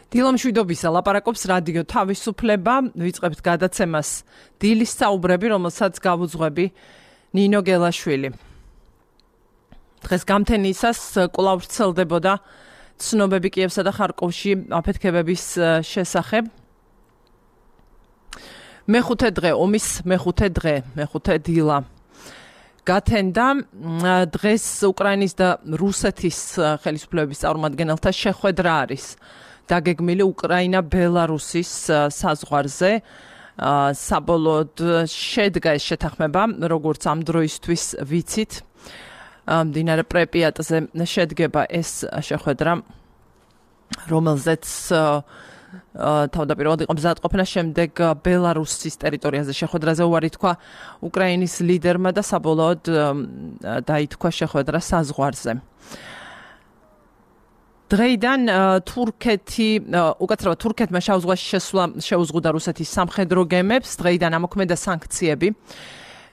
დილო მშვიდობისა, ლაპარაკობს რადიო თავისუფლება, ვიწყებთ გადაცემას დილის საუბრები, რომელსაც გავუძღვები ნინო გელაშვილი. დღეს გამთენისას კვლავ ვრცელდებოდა ცნობები კიევსა და ხარკოვში აფეთქებების შესახებ. მეხუთე დღე, ომის მეხუთე დილა გათენდა. დღეს უკრაინის და რუსეთის ხელისუფლებების წარმომადგენელთა შეხვედრა არის დაგეგმილი უკრაინა-ბელარუსის საზღვარზე. საბოლოოდ შედგა ეს შეთანხმება, როგორც ამ დროისთვის ვიცით. მდინარე პრეპიატზე შედგება ეს შეხვედრა, რომელზეც თავდაპირველად იყო მზადყოფნა, შემდეგ ბელარუსის ტერიტორიაზე შეხვედრაზე უარი თქვა უკრაინის ლიდერმა და საბოლოოდ დაითქვა შეხვედრა საზღვარზე. დღეიდან უკაცრავად თურქეთმა შავ ზღვაში შესვლა შეუზღუდა რუსეთის სამხედრო გემებს. დღეიდან ამოქმედა სანქციები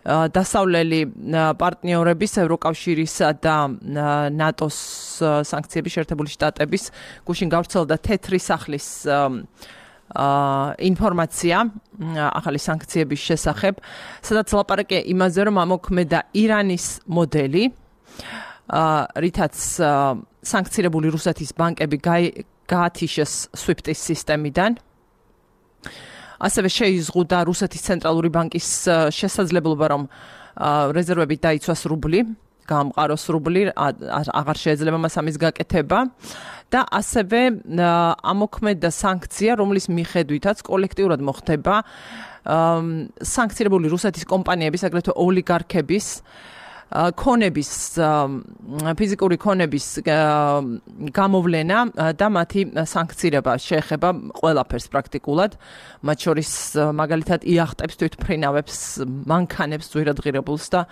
დასავლელი პარტნიორების, ევროკავშირისა და ნატოს სანქციები, შეერთებული შტატების გუშინ გავრცელდა თეთრი სახლის ინფორმაცია ახალი სანქციების შესახებ, სადაც ლაპარაკია იმაზე, რომ ამოქმედა ირანის მოდელი, რითაც სანქცირებული რუსეთის ბანკები გაათიშეს SWIFT-ის სისტემიდან. ასევე შეიზღუდა რუსეთის ცენტრალური ბანკის შესაძლებლობა, რომ რეზერვებით დაიცვას რუბლი, გაამყაროს რუბლი, აღარ შეეძლება მას ამის გაკეთება და ასევე ამოქმედა სანქცია, რომლის მიხედვითაც კოლექტიურად მოხდება სანქცირებული რუსეთის კომპანიების, აგრეთვე ოლიგარქების ქონების, ფიზიკური ქონების გამოვლენა და მათი სანქცირება შეეხება ყველაფერს პრაქტიკულად, მათ შორის მაგალითად იახტებს, თვითმფრინავებს, მანქანებს, ძვირადღირებულს და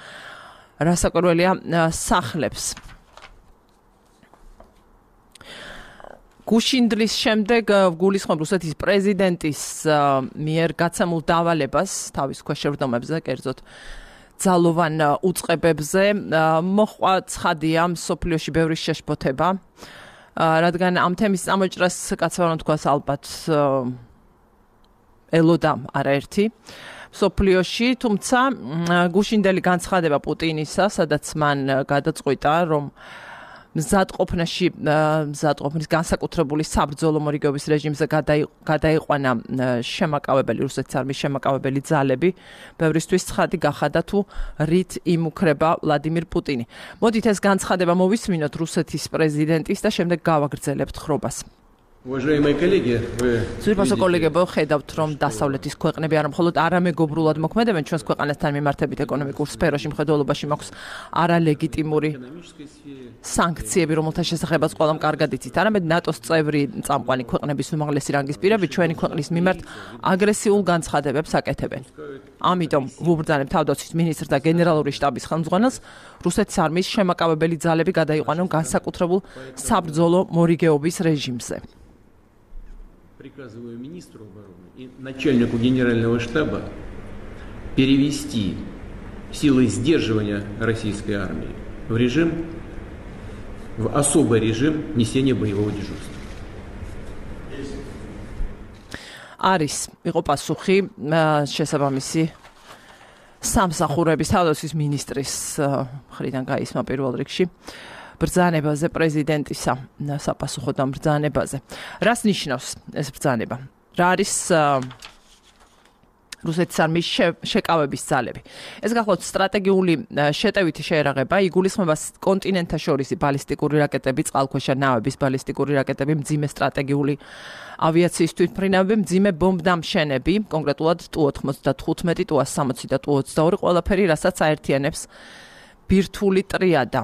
რასაკვირველია სახლებს. გუშინდლის შემდეგ გულისხმობ რუსეთის პრეზიდენტის მიერ გაცემულ დავალებას თავის ქვეშ შევრდომებზე, კერძოდ ძალოვან უწყებებზე, მოჰყვა ცხადია მსოფლიოში ბევრი შეშფოთება, რადგან ამ თემის წამოჭრას კაცრავად თქვას ალბათ ელოდა არაერთი მსოფლიოში, თუმცა გუშინდელი განცხადება პუტინისა, სადაც მან გადაწყვიტა, რომ მზადყოფნის განსაკუთრებული საბრძოლო მორიგეობის რეჟიმზე გადაიყვანა რუსეთის არმიის შემაკავებელი ძალები, ბევრისთვის ცხადი გახადა თუ რით იმუქრება ვლადიმირ პუტინი. მოდით ეს განცხადება მოვისმინოთ რუსეთის პრეზიდენტის და შემდეგ გავაგრძელებთ ხრობას. ძვირფასო კოლეგებო, ხედავთ, რომ დასავლეთის ქვეყნები არა მხოლოდ არამეგობრულად მოქმედებენ ჩვენს ქვეყანასთან მიმართებით ეკონომიკურ სფეროში, მხედველობაში მაქვს არალეგიტიმური სანქციები, რომელთა შესახებაც ყველამ კარგად იცით, არამედ ნატოს წევრი წამყვანი ქვეყნების უმაღლესი რანგის პირები ჩვენი ქვეყნის მიმართ აგრესიულ განცხადებებს აკეთებენ. ამიტომ ვუბრძანებ თავდაცვის მინისტრს და გენერალური შტაბის ხელმძღვანელს რუსეთის არმიის შემაკავებელი ძალები გადაიყვანონ განსაკუთრებულ საბრძოლო მორიგეობის რეჟიმზე. Приказываю министру обороны и начальнику генерального штаба перевести силы сдерживания российской армии в особый режим несения боевого дежурства. არის იყო პასუხი შესაბამისი სამსახურების თავდაცვის მინისტრის მხრიდან გაისმა პირველ რიგში ბრძანებაზე პრეზიდენტისა საპასუხოდ ამ ბრძანებაზე. რას ნიშნავს ეს ბრძანება? რა არის რუსეთის არმიის შეკავების ძალები? ეს გახლავთ სტრატეგიული შეტევითი შეერაღება, იგულისხმება კონტინენტთაშორისი ბალისტიკური რაკეტები, წყალქვეშა ნავების ბალისტიკური რაკეტები, მძიმე სტრატეგიული ავიაციის თვითმფრინავები, მძიმე ბომბდამშენები, კონკრეტულად Tu-95, Tu-160 და Tu-22, ყველაფერი, რასაც აერთიანებს ბირთვული ტრიადა.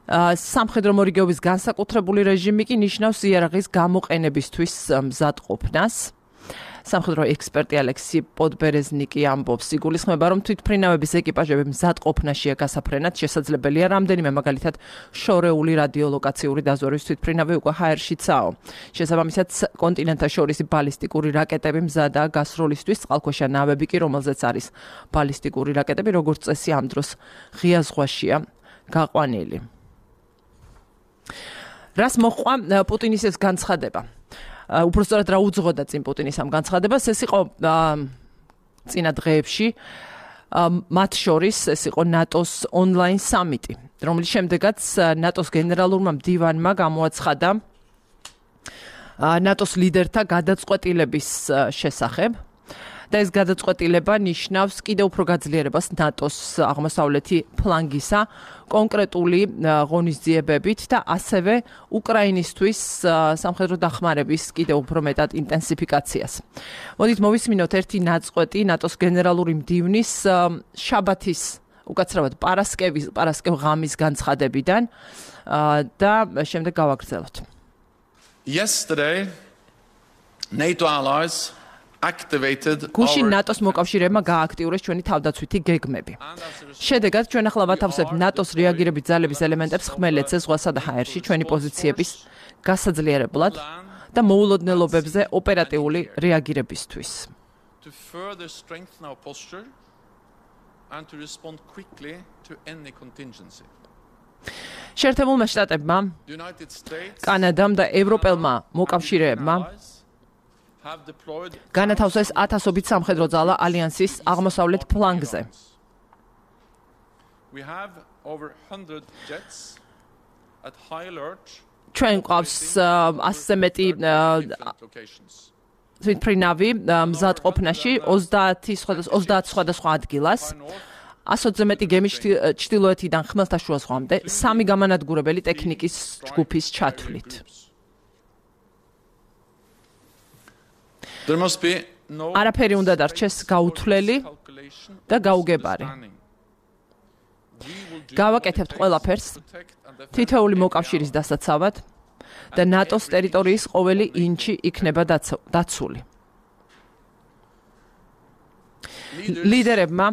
სამხედრო მორიგეობის განსაკუთრებული რეჟიმი კი ნიშნავს იარაღის გამოყენებისთვის მზადყოფნას. სამხედრო ექსპერტი ალექსი პოდბერეზნიკი ამბობს, იგულისხმება, რომ თვითმფრინავების ეკიპაჟები მზადყოფნაშია გასაფრენად შესაძლებელია რამდენიმე, მაგალითად შორეული რადიოლოკაციური დაზვერვის თვითმფრინავი უკვე ჰაერშიცაო. შესაბამისად, კონტინენტთაშორისი ბალისტიკური რაკეტები მზადაა გასროლისთვის, წყალქვეშა ნავები კი, რომელზეც არის ბალისტიკური რაკეტები, როგორც წესი ამ დროს ღია ზღვაშია გაყვანილი. რას მოყვა პუტინის ეს განცხადება? უпростоრად რა უძღოდა წინ პუტინის ამ განცხადებას? ეს იყო წინა დღეებში მათ შორის ეს იყო ნატოს ონლაინ სამიტი, რომლის შემდეგაც ნატოს გენერალურმა მდივანმა გამოაცხადა ნატოს ლიდერთა გადაწყვეტილების შესახებ და ეს გადაწყვეტილება ნიშნავს კიდევ უფრო გაძლიერებას ნატოს აღმოსავლეთი ფლანგისა კონკრეტული ღონისძიებებით და ასევე უკრაინისთვის სამხედრო დახმარების კიდევ უფრო მეტად ინტენსიფიკაციას. მოდით მოვისმინოთ ერთი ნაწყვეტი ნატოს გენერალური მდივნის შაბათის უკაცრავად პარასკევ ღამის განცხადებიდან და შემდეგ გავაგრძელოთ. Yesterday, NATO allies activated გუშინ ნატოს მოკავშირეებმა გააქტიურეს ჩვენი თავდაცვითი გეგმები. შედეგად ჩვენ ახლა ვათავსებთ ნატოს რეაგირების ძალების ელემენტებს ხმელეთზე, ზღვასა და ჰაერში ჩვენი პოზიციების გასაძლიერებლად და მოულოდნელობებზე ოპერატიული რეაგირებისთვის. to further strengthen our posture and to respond quickly to any contingency. შეერთებულმა შტატებმა, The United States კანადამ და ევროპელმა მოკავშირეებმა have deployed განათავსეს 1000-ობით სამხედრო ძალა ალიანსის აღმოსავლეთ ფლანგზე. We have over 100 jets at high alert ჩვენ ყავს 100-ზე მეტი different locations. თვითმფრინავი მზადყოფნაში 30 სხვადასხვა ადგილას 100-ზე მეტი გემი ჩtildeოეთიდან ხმელთაშუა ზღვამდე 3 გამანადგურებელი ტექნიკის ჯგუფის ჩათვლით. There must be no არაფერი უნდა დარჩეს გაუთვლელი calculation და გაუგებარი. გავაკეთებთ ყველაფერს თითოეული მოკავშირის დასაცავად და ნატოს ტერიტორიის ყოველი ინჩი იქნება დაცული. ლიდერებმა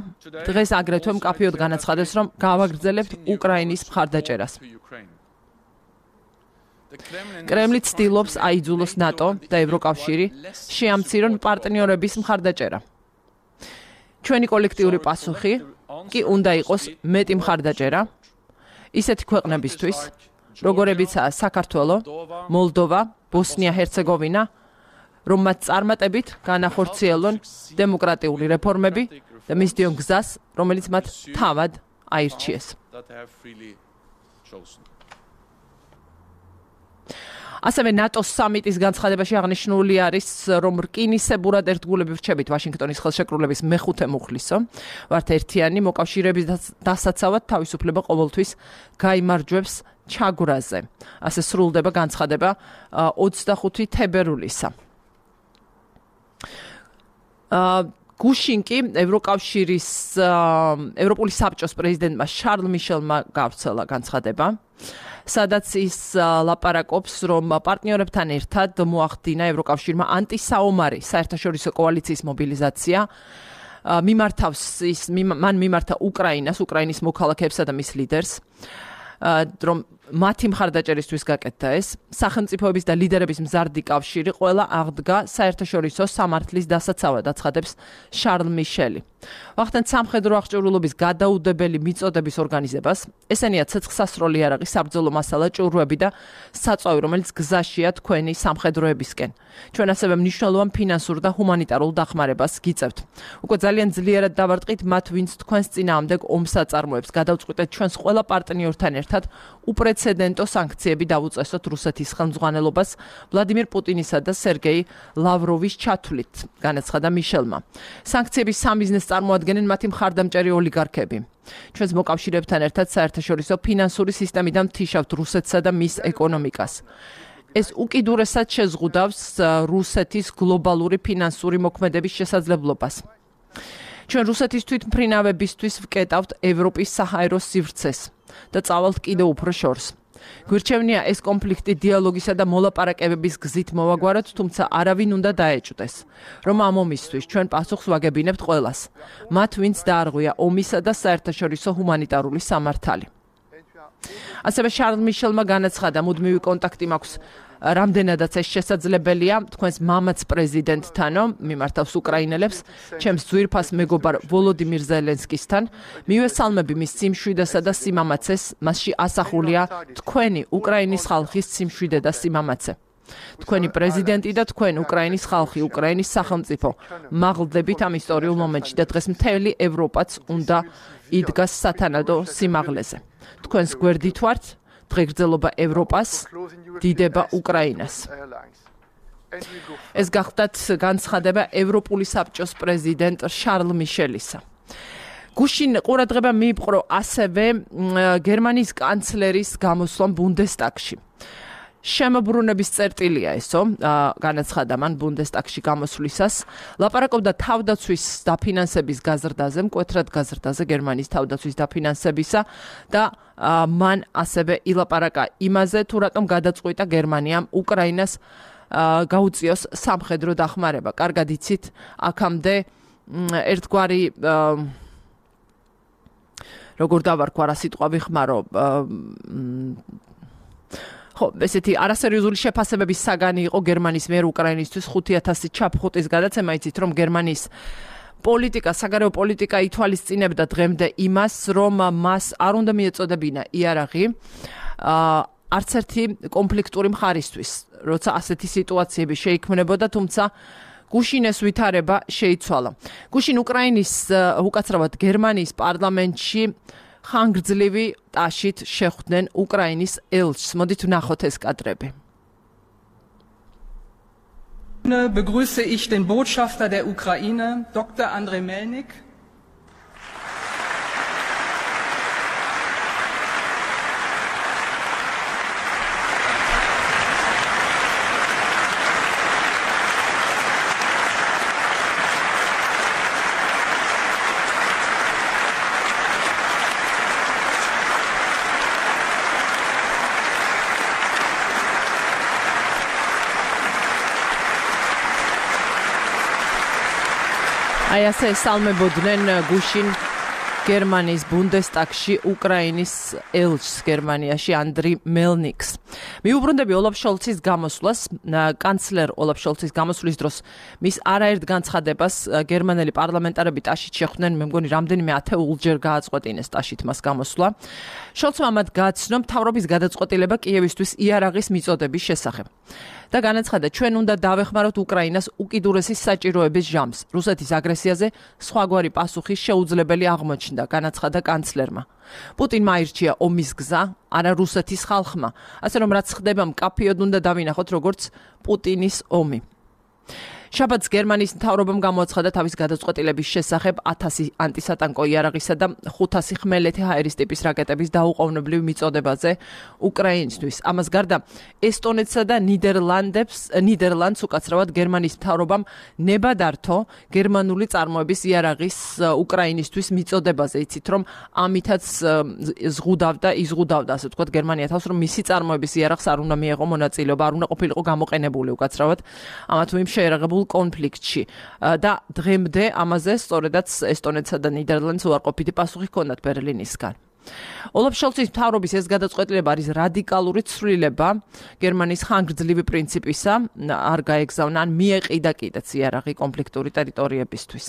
დღეს აგრეთვე მკაფიოდ განაცხადეს, რომ გავაგრძელებთ უკრაინის მხარდაჭერას. კრემლი ცდილობს აიძულოს ნატო და ევროკავშირი შეამცირონ პარტნიორების მხარდაჭერა. ჩვენი კოლექტიური პასუხი კი უნდა იყოს მეტი მხარდაჭერა ისეთი ქვეყნებისთვის, როგორებიცაა საქართველო, მოლდოვა, ბოსნია-ჰერცეგოვინა, რომ მათ წარმატებით განახორციელონ დემოკრატიული რეფორმები და მისდიონ გზას, რომელიც მათ თავად აირჩიეს. that they have freely chosen. ასევე ნატოს სამიტის განცხადებაში აღნიშნული არის, რომ რკინისებურად ერთგულები ვრჩებით ვაშინგტონის ხელშეკრულების მეხუთე მუხლისო, ვართ ერთიანი მოკავშირეების დასაცავად თავისუფლება ყოველთვის გაიმარჯვებს ჩაგვრაზე. ასე სრულდება განცხადება 25 თებერვლისა. გუშინ კი ევროპული საბჭოს პრეზიდენტმა შარლ მიშელმა გავრცელა განცხადება, სადაც ის ლაპარაკობს, რომ პარტნიორებთან ერთად მოახდინა ევროკავშირმა ანტისაომარი საერთაშორისო კოალიციის მობილიზაცია. მან მიმართა უკრაინის მოქალაქეებსა და მის ლიდერს, რომ მათი მხარდაჭერისთვის გაკეთდა ეს. სახელმწიფოების და ლიდერების მზარდი კავშირი ყველა აღდგა საერთაშორისო სამართლის დასაცავად, აცხადებს შარლ მიშელი. ვახდენთ სამხედრო აღჭურვილობის გადაუდებელი მიწოდების ორგანიზებას. ესენია ცეცხლსასროლი იარაღი, საბრძოლო მასალა, ჭურვები და საწვავი, რომელიც გზაშია თქვენი სამხედროებისკენ. ჩვენ ასევე მნიშვნელოვან ფინანსურ და ჰუმანიტარულ დახმარებას გიწევთ. უკვე ძალიან ძლიერად დავარტყით მათ, ვინც თქვენს წინააღმდეგ ომს აწარმოებს. გადავწყვიტეთ ჩვენს ყველა პარტნიორთან ერთად უპრეცედენტო სანქციები დავუწესოთ რუსეთის ხელმძღვანელობას ვლადიმირ პუტინისა და სერგეი ლავროვის ჩათვლით, განაცხადა მიშელმა. სანქციების სამიზნეს წარმოადგენენ მათი მხარდამჭერი ოლიგარქები. ჩვენს მოკავშირეებთან ერთად საერთაშორისო ფინანსური სისტემიდან ვთიშავთ რუსეთსა და მის ეკონომიკას. ეს უკიდურესად შეზღუდავს რუსეთის გლობალური ფინანსური მოქმედების შესაძლებლობას. ჩვენ რუსეთის თვითმფრინავებისთვის ვკეტავთ ევროპის საჰაერო სივრცეს და წავალთ კიდევ უფრო შორს. გვირჩევნია ეს კონფლიქტი დიალოგისა და მოლაპარაკებების გზით მოვაგვაროთ, თუმცა არავინ უნდა დაეჭვდეს, რომ ამ ომისთვის ჩვენ პასუხს ვაგებინებთ ყველას, მათ ვინც დაარღვია ომისა და საერთაშორისო ჰუმანიტარული სამართალი. ასევე შარლ მიშელმა განაცხადა, მუდმივი კონტაქტი მაქვს რამდენადაც ეს შესაძლებელია, თქვენს მამაც პრეზიდენტთანო, მიმართავს უკრაინელებს, ჩემს ძვირფას მეგობარ ვოლოდიმირ ზელენსკისთან, მივესალმები მის სიმშვიდესა და სიმამაცეს, მასში ასახულია თქვენი უკრაინის ხალხის სიმშვიდე და სიმამაცე. თქვენი პრეზიდენტი და თქვენ უკრაინის ხალხი, უკრაინის სახელმწიფო მაღლდებით ამ ისტორიულ მომენტში და დღეს მთელი ევროპაც უნდა იდგას სათანადო სიმაღლეზე. თქვენს გვერდით ვართ, დღეგრძელობა ევროპას, დიდება უკრაინას. ეს გახდათ განცხადება ევროპული საბჭოს პრეზიდენტ შარლ მიშელისა. გუშინ ყურადღება მიიპყრო ასევე გერმანიის კანცლერის გამოსვლამ ბუნდესტაგში. შემოbrunების წერტილია ესო, განაცხადა მან ბუნდესტაგში გამოსვლისას, ლაპარაკობდა თავდაცვის დაფინანსების გაზრდაზე, მკვეთრად გაზრდაზე გერმანიის თავდაცვის დაფინანსებისა და მან ასევე ილაპარაკა იმაზე, თუ რატომ გადაწყვიტა გერმანიამ უკრაინას გაუწიოს სამხედრო დახმარება. კარგად იცით, აქამდე ერთგვარი როგორ დავარქვა რა სიტყვა ვიხმარო, ხო, ესეთი არასერიოზული შეფასებების საგანი იყო გერმანიის მიერ უკრაინისთვის 5000 ჩაფხუტის გადაცემა. იცით, რომ გერმანიის პოლიტიკა, საგარეო პოლიტიკა ითვალისწინებდა დღემდე იმას, რომ მას არ უნდა მიეწოდებინა იარაღი არც ერთი კონფლიქტური მხარისთვის, როცა ასეთი სიტუაციები შეიქმნებოდა, თუმცა გუშინ ეს ვითარება შეიცვალა. გუშინ უკრაინის, უკაცრავად გერმანიის პარლამენტში ხანგრძლივი ტაშით შეხვდნენ უკრაინის ელჩს. მოდით ვნახოთ ეს კადრები. Begrüße ich den Botschafter der Ukraine, Dr. Andrei Melnik. აი ასე ესალმებოდნენ გუშინ გერმანიის ბუნდესტაგში უკრაინის ელჩს გერმანიაში ანდრი მელნიკს. მიუბრუნდები ოლაფ შოლცის გამოსვლას, კანცლერ ოლაფ შოლცის გამოსვლის დროს მის არაერთ განცხადებას გერმანელი პარლამენტარები ტაშით შეხვდნენ, მე მგონი რამდენიმე ათეულჯერ გააწყვეტინეს ტაშით მას გამოსვლა. შოლცმა ამათ გააცნო მთავრობის გადაწყვეტილება კიევისთვის იარაღის მიწოდების შესახებ. და განაცხადა, ჩვენ უნდა დავეხმაროთ უკრაინას უკიდურესი საჭიროების ჟამს. რუსეთის აგრესიაზე სხვაგვარი პასუხი შეუძლებელი აღმოჩნდა, განაცხადა კანცლერმა. პუტინმა აირჩია ომის გზა, არა რუსეთის ხალხმა, ასე რომ რაც ხდება მკაფიოდ უნდა დავინახოთ, როგორც პუტინის ომი. შაბათს გერმანიის მთავრობამ გამოაცხადა თავის გადაწყვეტილების შესახებ 1000 ანტისატანკო იარაღისა და 500 ხმელეთი ჰაერის ტიპის რაკეტების დაუყოვნებლივ მიწოდებაზე უკრაინისთვის. ამას გარდა ესტონეთსა და ნიდერლანდს უკაცრავად გერმანიის მთავრობამ ნება დართო გერმანული წარმოების იარაღის უკრაინისთვის მიწოდებაზე. იცით, რომ ამითაც იზღუდავდა, ასე ვთქვათ, გერმანია თავს, რომ მისი წარმოების იარაღს არ უნდა მიეღო მონაწილეობა, არ უნდა ყოფილიყო გამოყენებული უკაცრავად ამა თუ იმ შეერაღებულ კონფლიქტში და დღემდე ამაზე სწორედაც ესტონეთსა და ნიდერლანდს უარყოფითი პასუხი ჰქონდათ ბერლინისგან. ოლაფ შოლცის მთავრობის ეს გადაწყვეტილება არის რადიკალური ცვლილება გერმანიის ხანგრძლივი პრინციპისა, არ გაეგზავნა ან მიეყიდა კიდეც იარაღი კონფლიქტური ტერიტორიებისთვის.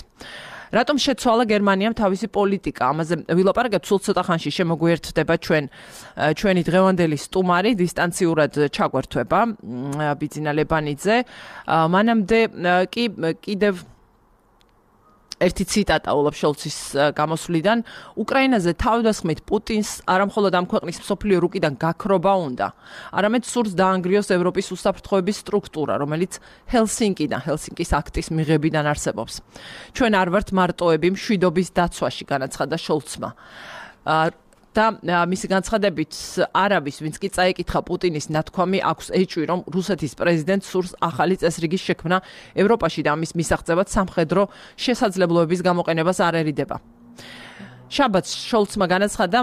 რატომ შეცვალა გერმანიამ თავისი პოლიტიკა? ამაზე ვილაპარაკებთ სულ ცოტა ხანში, შემოგვიერთდება ჩვენი დღევანდელი სტუმარი, დისტანციურად ჩაგვერთვება ბიძინა ლებანიძე. მანამდე კი კიდევ ერთი ციტატა ოლაფ შოლცის გამოსვლიდან, უკრაინაზე თავდასხმით პუტინს არამხოლოდ ამ ქვეყნის მსოფლიო რუკიდან გაქრობა უნდა, არამედ სურს დაანგრიოს ევროპის უსაფრთხოების სტრუქტურა, რომელიც ჰელსინკის აქტის მიღებიდან არსებობს. ჩვენ არ ვართ მარტოები მშვიდობის დაცვაში, განაცხადა შოლცმა. და მისი განცხადებით არავის, ვინც კი წაიკითხა პუტინის ნათქვამი, აქვს ეჭვი, რომ რუსეთის პრეზიდენტს სურს ახალი წესრიგის შექმნა ევროპაში და ამის მისაღწევად სამხედრო შესაძლებლობების გამოყენებას არ ერიდება. შაბათს შოლცმა განაცხადა,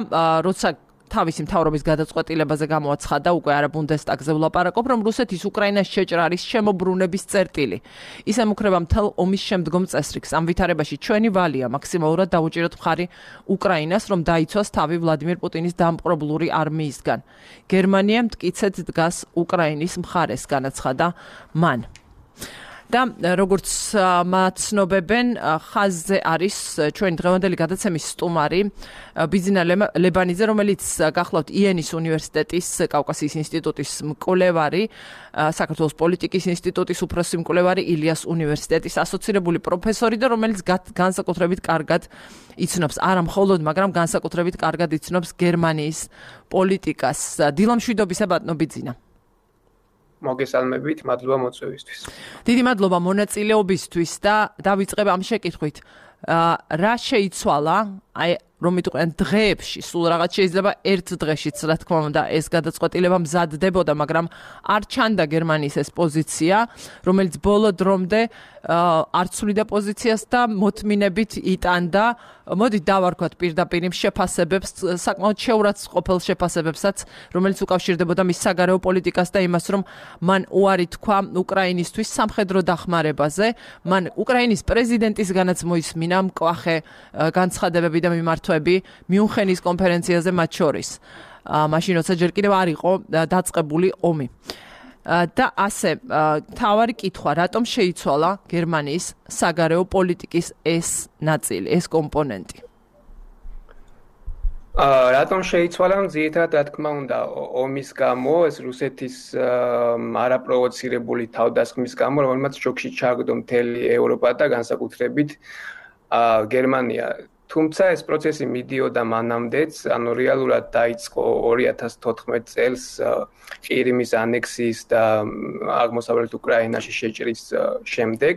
როცა თავისი მთავრობის გადაწყვეტილებაზე გამოაცხადა, უკვე არა ბუნდესტაგზე ვლაპარაკობ, რომ რუსეთის უკრაინას შეჭრა არის შემობრუნების წერტილი. ის ემუქრება მთელ ომის შემდგომ წესრიგს. ამ ვითარებაში ჩვენი ვალია მაქსიმალურად დავუჭიროთ მხარი უკრაინას, რომ დაიცვას თავი ვლადიმირ პუტინის დამპყრობლური არმიისგან. გერმანია მტკიცედ დგას უკრაინის მხარეს, განაცხადა მან. და როგორც მაცნობებენ, ხაზზე არის ჩვენი დღევანდელი გადაცემის სტუმარი ბიძინა ლებანიძე, რომელიც გახლავთ იენის უნივერსიტეტის კავკასიის ინსტიტუტის მკვლევარი, საქართველოს პოლიტიკის ინსტიტუტის უფროსი მკვლევარი, ილიას უნივერსიტეტის ასოცირებული პროფესორი და რომელიც განსაკუთრებით კარგად იცნობს, არა მხოლოდ, მაგრამ განსაკუთრებით კარგად იცნობს გერმანიის პოლიტიკას. დილამშვიდობისა ბატონო ბიძინა. მოგესალმებით, მადლობა მოწვევისთვის. დიდი მადლობა მონაწილეობისთვის და დავიწყებ ამ შეკითხვით. რა შეიცვალა, აი რომ მიტყვიან დღეებში, სულ რაღაც შეიძლება ერთ დღეშიც, რა თქმა უნდა, ეს გადაწყვეტილება მზადდებოდა, მაგრამ არ ჩანდა გერმანიის ეს პოზიცია, რომელიც ბოლო დრომდე არ ცვლიდა პოზიციას და მოთმინებით იტანდა. მოდით დავარქვათ პირდაპირ იმ შეფასებებს, საკმაოდ შეურაც ყოფილ შეფასებებსაც, რომელიც უკავშირდებოდა მის საგარეო პოლიტიკას და იმას, რომ მან უარი თქვა უკრაინისთვის სამხედრო დახმარებაზე. მან უკრაინის პრეზიდენტისგანაც მოისმინა მკვახე განცხადებები და მიმართვები მიუნხენის კონფერენციაზე მათ შორის. მაშინ როცა ჯერ კიდევ არ იყო დაწყებული ომი. და ასე, თავარი კითხვა, რატომ შეიცვალა გერმანიის საგარეო პოლიტიკის ეს ნაწილი, ეს კომპონენტი? რატომ შეიცვალა? ძირითადად, რა თქმა უნდა, ომის გამო, ეს რუსეთის არაპროვოცირებული თავდასხმის გამო, რომელმაც შოკში ჩააგდო მთელი ევროპა და განსაკუთრებით გერმანია. თუმცა ეს პროცესი მიდიოდა მანამდეც, ანუ რეალურად დაიწყო 2014 წელს ყირიმის ანექსიის და აღმოსავლეთ უკრაინაში შეჭრის შემდეგ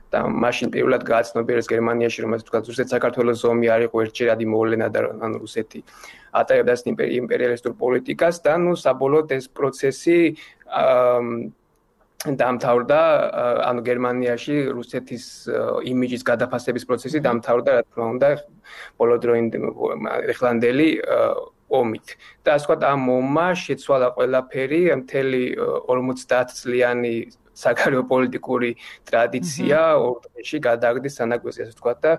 და მაშინ პირველად გააცნობიერეს გერმანიაში, რომ ასე ვთქვათ, რუსეთ-საქართველოს ომი არ იყო ერთჯერადი მოვლენა და ანუ რუსეთი ატარებდა იმპერიალისტურ პოლიტიკას და ნუ საბოლოოდ ეს პროცესი დამთავრდა, ანუ გერმანიაში რუსეთის იმიჯის გადაფასების პროცესი დამთავრდა, რა თქმა უნდა, ეხლანდელი ომით. და ასე ვთქვათ, ამ ომმა შეცვალა ყველაფერი, მთელი 50 წლიანი საგარეო პოლიტიკური ტრადიცია ორ დღეში გადააგდეს სანაგვეზე, ასე ვთქვათ, და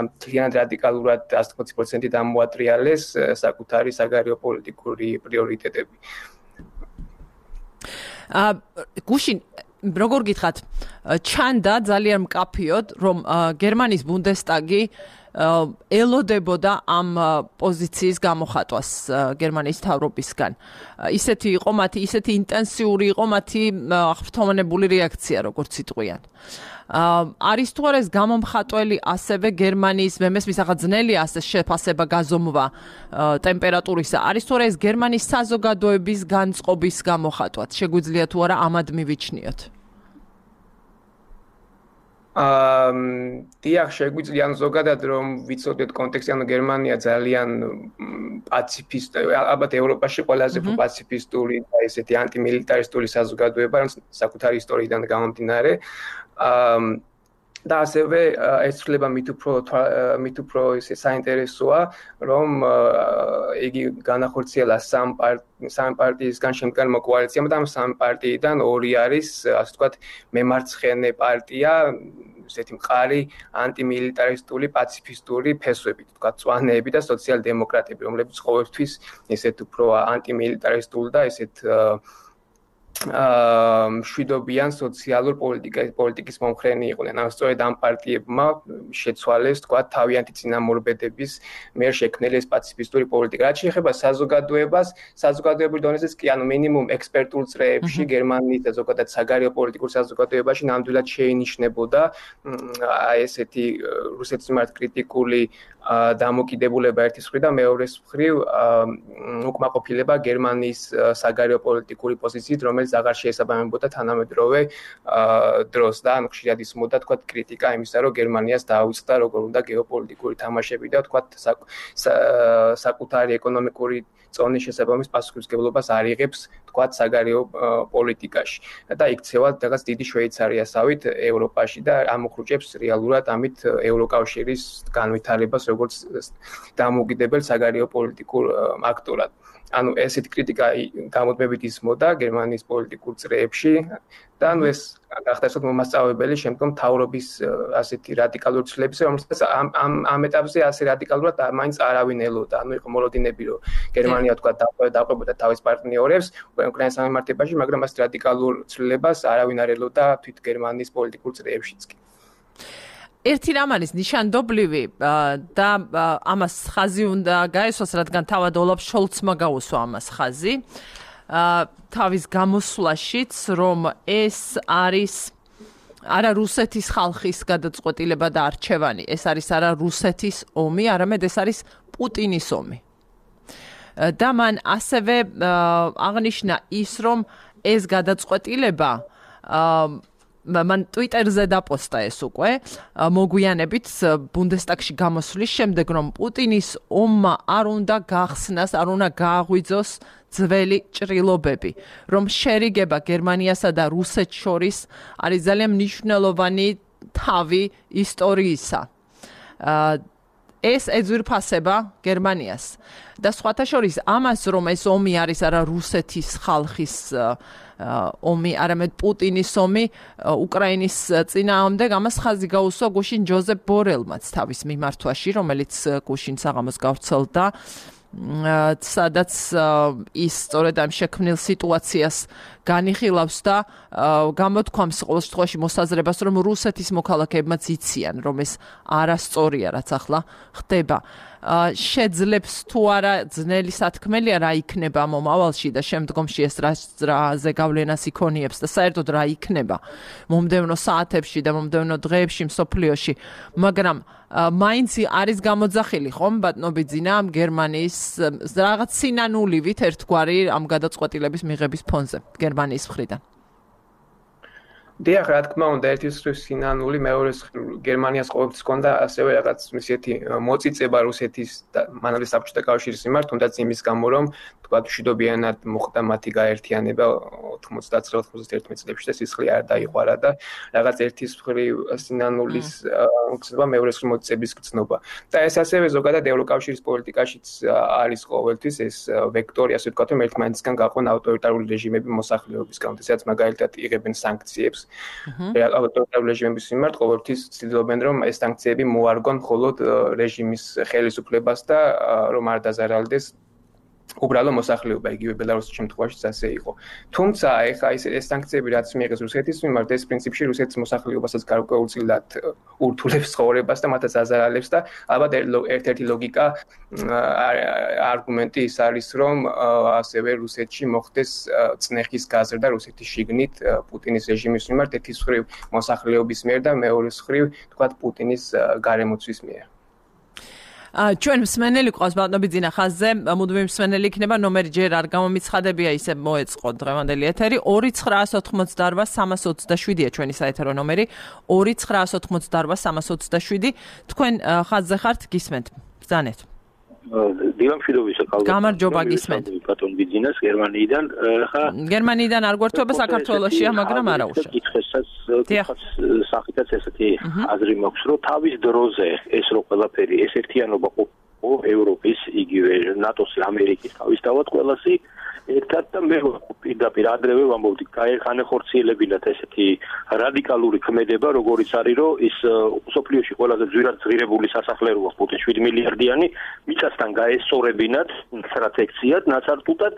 მთლიანად რადიკალურად 120% ამოატრიალეს საკუთარი საგარეო პოლიტიკური პრიორიტეტები. გუშინ როგორ გითხრათ, ჩანდა ძალიან მკაფიოდ, რომ გერმანიის ბუნდესტაგი ელოდებოდა ამ პოზიციის გამოხატვას გერმანიის მთავრობისგან. ისეთი იყო მათი, ისეთი ინტენსიური იყო მათი აღფრთოვანებული რეაქცია, როგორც იტყვიან. არის თუ არა ეს გამომხატველი ასევე გერმანიის, მე მესმის ახლა ძნელია ასე შეფასება გაზომვა ტემპერატურისა. არის თუ არა ეს გერმანიის საზოგადოების განწყობის გამოხატვაც? შეგვიძლია თუ არა ამად მივიჩნიოთ? დიახ, შეგვიძლია ზოგადად რომ ვიცოდეთ კონტექსტი, ანუ გერმანია ძალიან პაციფისტური, ალბათ ევროპაში ყველაზე პაციფისტური და ესეთი ანტიმილიტარისტული საზოგადოება, საკუთარი ისტორიიდან გამომდინარე. და ასევე ეს ცვლილება მით უფრო საინტერესოა, რომ იგი განახორციელა სამ პარტიისგან შემდგარი კოალიციამ და ამ სამ პარტიიდან ორი არის, ასე ვთქვათ, მემარცხენე პარტია, ესეთი მყარი ანტიმილიტარისტული, პაციფისტური ფესვებით, ვთქვათ, წვანეები და სოციალ-დემოკრატები, რომლებიც ყოველთვის ესეთ უფრო ანტიმილიტარისტულ და ესეთ მშვიდობიან სოციალურ პოლიტიკის მომხრენი იყვნენ. ანუ სწორედ ამ პარტიებმა შეცვალეს, თქვა, თავიანთი წინამორბედების მიერ შექმნილი ეს პაციფისტური პოლიტიკა. რაც შეეხება საზოგადოებას, საზოგადოებრივ დონეზეც კი, ანუ მინიმუმ ექსპერტულ წრეებში გერმანიის და ზოგადად საგარეო პოლიტიკურ საზოგადოებაში ნამდვილად შეინიშნებოდა აი ესეთი რუსეთის მიმართ კრიტიკული დამოკიდებულება ერთის მხრივ და მეორეს მხრივ უკმაყოფილება გერმანიის საგარეო პოლიტიკური პოზიციით, რომელიც აღარ შეესაბამებოდა თანამედროვე დროს და ანუ ხშირად ისმოდა, თქვა, კრიტიკა იმისა, რომ გერმანიას დაუწყდა როგორ უნდა გეოპოლიტიკური თამაშები და თქვა საკუთარი ეკონომიკური წონის შესაბამის პასუხისმგებლობას არ იღებს, თქვა, საგარეო პოლიტიკაში. და იქცევა რაღაც დიდი შვეიცარიასავით ევროპაში და ამოხრუჭებს რეალურად ამით ევროკავშირის განვითარებას როგორც დამოუკიდებელ საგარეო პოლიტიკურ აქტორად. ანუ ესეთი კრიტიკა გამუდმებით ისმოდა გერმანიის პოლიტიკურ წრეებში და ანუ ეს გახდა საკმაოდ მომასწავლებელი შემდგომ მთავრობის ასეთი რადიკალური ცვლილებისა, რომელსაც ამ ეტაპზე ასე რადიკალურად მაინც არავინ ელოდა. ანუ იყო მოლოდინები, რომ გერმანია თქვა დაყვებოდა თავის პარტნიორებს უკრაინის სამემართებაში, მაგრამ ამ რადიკალურ ცვლილებას არავინ არ ელოდა თვით გერმანიის პოლიტიკურ წრეებშიც კი. ერთი რამ არის ნიშანდობლივი და ამას ხაზი უნდა გაესვას, რადგან თავად ოლაფ შოლცმა გაუსვა ამას ხაზი. თავის გამოსვლაშიც, რომ ეს არის არა რუსეთის ხალხის გადაწყვეტილება და არჩევანი, ეს არის არა რუსეთის ომი, არამედ ეს არის პუტინის ომი. და მან ასევე აღნიშნა ის, რომ ეს გადაწყვეტილება მან ტვიტერზე დაპოსტა ეს უკვე მოგვიანებით ბუნდესტაგში გამოსვლის შემდეგ, რომ პუტინის ომმა არ უნდა გახსნას, არ უნდა გააღვიძოს ძველი ჭრილობები, რომ შერიგება გერმანიასა და რუსეთს შორის არის ძალიან მნიშვნელოვანი თავი ისტორიისა. ეს ეძვირფასება გერმანიას და სხვათა შორის ამას, რომ ეს ომი არის არა რუსეთის ხალხის ომი, არამედ პუტინის ომი უკრაინის წინააღმდეგ, ამას ხაზი გაუსვა გუშინ ჯოზეფ ბორელმაც თავის მიმართვაში, რომელიც გუშინ საღამოს გავრცელდა, სადაც ის სწორედ ამ შექმნილ სიტუაციას განიხილავს და გამოთქვამს ყოველ შემთხვევაში მოსაზრებას, რომ რუსეთის მოქალაქეებმაც იციან, რომ ეს არასწორია, რაც ახლა ხდება. შეძლებს თუ არა ძნელი სათქმელია რა იქნება მომავალში და შემდგომში ეს რაზე გავლენას იქონიებს და საერთოდ რა იქნება მომდევნო საათებში და მომდევნო დღეებში მსოფლიოში, მაგრამ მაინც არის გამოძახილი ხომ ბატონო ბიძინა ამ გერმანიის რაღაც სინანულივით ერთგვარი ამ გადაწყვეტილების მიღების ფონზე გერმანიის მხრიდან. დიახ, რა თქმა უნდა, ერთის მხრივ სინანული, მეორეს მხრივ გერმანიას ყოველთვის ჰქონდა ასევე რაღაც ისეთი მოწიწება რუსეთის და მანამდე საბჭოთა კავშირის მიმართ, თუნდაც იმის გამო, რომ თქვა მშვიდობიანად მოხდა მათი გაერთიანება 99-91 წლებში და სისხლი არ დაიყვარა და რაღაც ერთის მხრივ სინანულის გრძნობა, მეორეს მხრივ მოწიწების გრძნობა. და ეს ასევე ზოგადად ევროკავშირის პოლიტიკაშიც არის ყოველთვის ეს ვექტორი, ასე ვთქვათ, რომ ერთმანეთისგან გაყვან ავტორიტარული რეჟიმები მოსახლეობისგან, სადაც მაგალითად იღებენ სანქციებს. ავტორიტარული რეჟიმების მიმართ ყოველთვის ცდილობენ, რომ ეს სანქციები მოარგონ მხოლოდ რეჟიმის ხელისუფლებას და რომ არ დაზარალდეს უბრალო მოსახლეობა, იგივე ბელარუსის შემთხვევაშიც ასე იყო. თუმცა ეხლა ეს სანქციები რაც მიიღეს რუსეთის მიმართ, ეს პრინციპში რუსეთის მოსახლეობასაც გარკვეულწილად ურთულებს ცხოვრებას და მათაც აზარალებს და ალბათ ერთ-ერთი ლოგიკა არგუმენტი ის არის, რომ ასევე რუსეთში მოხდეს წნეხის გაზრდა რუსეთის შიგნით პუტინის რეჟიმის მიმართ, ერთის მხრივ მოსახლეობის მიერ და მეორეს მხრივ თქვათ პუტინის გარემოცვის მიერ. ჩვენ მსმენელი ყავს ბატონო ბიძინა ხაზზე, მუდმივი მსმენელი იქნება, ნომერი ჯერ არ გამომიცხადებია, ისე მოეწყო დღევანდელი ეთერი 2988327-ია ჩვენი საეთერო ნომერი 2988327. თქვენ ხაზზე ხართ, გისმენთ, ბრძანეთ. დილამშვიდობისა ქალბატონო. გამარჯობა, გისმენთ. ბატონ ბიძინას გერმანიიდან, ხა გერმანიიდან არ გვერდება, საქართველოშია, მაგრამ არა უშავ. კითხესაც სახითაც ესეთი აზრი მაქვს, რომ თავის დროზე ეს რო ყველაფერი ეს ერთიანობა ყოფილიყო ევროპის, იგივე ნატოს, ამერიკის თავისთავად ყველასი ერთად და მე პირდაპირ ადრევე ვამბობდი, განეხორციელებინათ ესეთი რადიკალური ქმედება, როგორიც არის, რომ ის სოფლიოში ყველაზე ძვირად ზღირებული სასახლე როა პუტინ 7 მილიარდიანი, მიწასთან გაესწორებინათ სტრატეგიად, ნაცარტუტად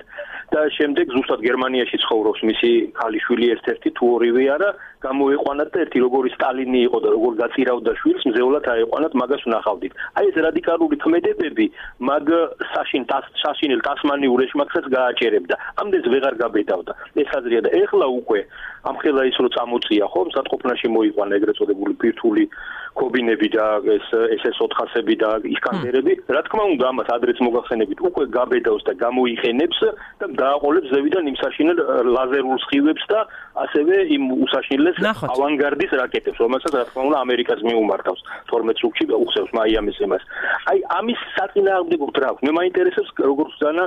და შემდეგ ზუსტად გერმანიაში ცხოვრობს მისი ქალიშვილი ერთ-ერთი თუ ორივე არა, გამოეყვანათ და ერთი როგორი სტალინი იყო და როგორ გაწირავდა შვილს, მზეულად აეყვანათ, მაგას ვნახავდით. აი ეს რადიკალური ქმედებები მაგ საშინელ ტასმანიურ ეშმაკსაც გააჭერებდა. ამდენს ვეღარ გაბედავდა. ეს აზრია და ეხლა უკვე ამხელა ის რო წამოწია ხო, მსატყოფნაში მოიყვანა ეგრეთ წოდებული ბირთვული კობინები და ეს SS-400-ები და ისკანდერები, რა თქმა უნდა ამას ადრეც მოგახსენებით, უკვე გაბედავს და გამოიყენებს და დააყოლებს ზევიდან იმ საშინელ ლაზერულ სხივებს და ასევე იმ უსაშინლეს ავანგარდის რაკეტებს, რომელსაც რა თქმა უნდა ამერიკას მიუმართავს 12 წუთში უხსევს მაიამის იმას. აი ამის საწინააღმდეგო რა აქვს? მე მაინტერესებს როგორც ზანა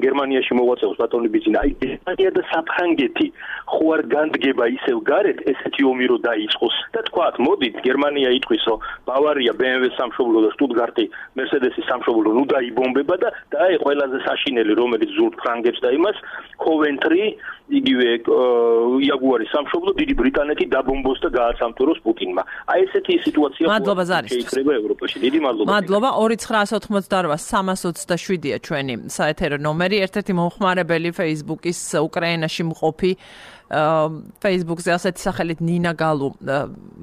გერმანიაში მოვაწევს ბატონი ბიძინა. აი გერმანია და საფრანგეთი ხო არ განდგება ისევ გარეთ ესეთი ომი რო დაიწყოს და თქვათ მოდით გერმანია იტყვის რომ ბავარია BMW-ს სამშობლო და შტუტგარტი Mercedes-ის სამშობლო ნუ დაიბომბება და აი ყველაზე საშინელი რომელიც ზურთ ფრანგებს და იმას Coventry იგივე იაგუარის სამშობლო დიდი ბრიტანეთი დაბომბოს და გააცამთვროს პუტინმა აი ესეთი სიტუაცია შეიძლება ევროპაში დიდი მადლობა 2988-327-ია ჩვენი საეთერო ნომერი ერთ-ერთი მომხმარებელი Facebook-ის უკრაინაში მყოფი Facebook-ზე ასეთი სახელით ნინა გალუ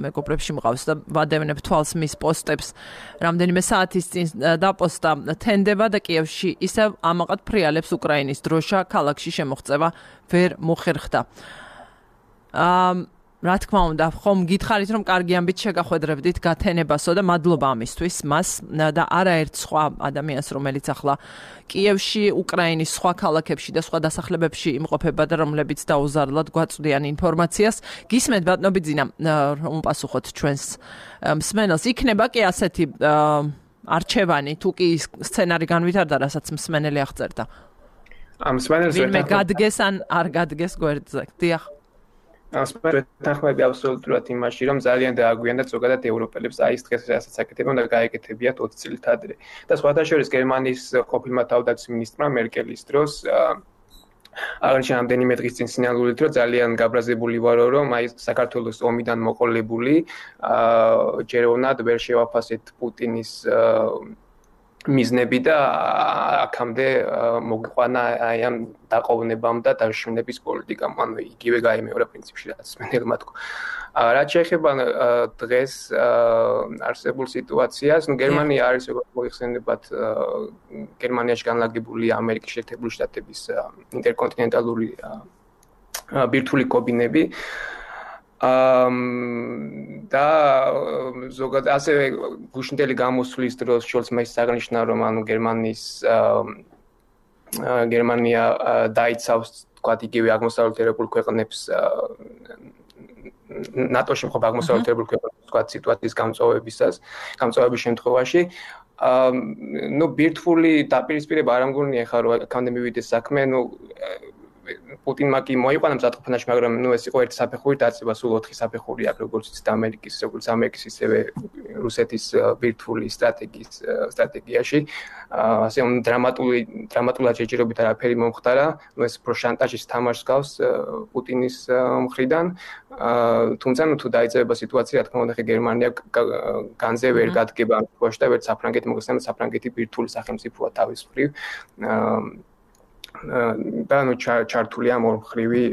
მეგობრებში მყავს და ვადევნებ თვალს მის პოსტებს რამდენიმე საათის წინ დაპოსტა თენდება და კიევში ისევ ამაყად ფრიალებს უკრაინის დროშა ქალაქში შემოღწევა ვერ მოხერხდა რა თქმა უნდა, ხომ გითხარით რომ კარგი ამბით შეგახვედრებდით გათენებასო და მადლობა ამისთვის მას და არაერთ სხვა ადამიანს რომელიც ახლა კიევში, უკრაინის სხვა ქალაქებში და სხვა დასახლებებში იმყოფება და რომლებიც დაუზარლად გვაწვდიან ინფორმაციას. გისმენთ ბატონო ბიძინა, რომ პასუხოთ ჩვენს მსმენელს. იქნება კი ასეთი არჩევანი, თუ კი სცენარი განვითარდა, რასაც მსმენელი აღწერდა. მსმენელს ვინმე გადგეს ან არ გადგეს გვერდზე. დიახ. თანხმები აბსოლუტურად იმაში, რომ ძალიან დააგვიანდა ზოგადად ევროპელებს აი ეს დღეს რასაც აკეთებენ და გაეკეთებიათ 20 წლით ადრე. და სხვათა შორის გერმანიის ყოფილმა თავდაცვის მინისტრმა მერკელის დროს აღნიშნა რამდენიმე დღის წინ სინამდვილით, რომ ძალიან გაბრაზებული ვარო, რომ აი საქართველოს ომიდან მოყოლებული ჯეროვნად ვერ შევაფასეთ პუტინის მიზნები და აქამდე მოგიყვანა აი ამ დაყოვნებამ და დაშინების პოლიტიკამ, ანუ იგივე გაიმეორა პრინციპში რაც მენელმა თქვა. რაც შეეხება დღეს არსებულ სიტუაციას, ნუ გერმანია არის როგორც მოიხსენებათ გერმანიაში განლაგებული ამერიკის შეერთებული შტატების ინტერკონტინენტალური ბირთვული კობინები და ზოგადად ასევე გუშინდელი გამოსვლის დროს შოლცმა ის აღნიშნა რომ ანუ გერმანია დაიცავს თქვათ იგივე აღმოსავლეთ ევროპულ ქვეყნებს ნატოში მყოფ აღმოსავლეთ ევროპულ ქვეყნებს თქვათ სიტუაციის გამწვავების შემთხვევაში ნუ ბირთვული დაპირისპირება არ ამგონია ხა რომ აქამდე მივიდეს საქმე ნუ პუტინმა კი მოიყვანა მზადყოფანაში, მაგრამ ნუ ეს იყო ერთი საფეხური დაწება, სულ 4 საფეხური აქვს, როგორც იცით ამერიკის, ისევე რუსეთის ბირთვული სტრატეგიაში. ასე დრამატულად შეჯერობით არაფერი მომხდარა, ნუ ეს პროშანტაჟის თამაშს გავს პუტინის მხრიდან. თუმცა ნუ თუ დაიწყება სიტუაცია, რა თქმა უნდა, გერმანია განზე ვერ გადგება ამ situationში და ვერც საფრანგეთი მოგესალმებით, საფრანგეთი ბირთვული სახელმწიფოა თავის მხრივ. და ნუ ჩართულია მორმხრივი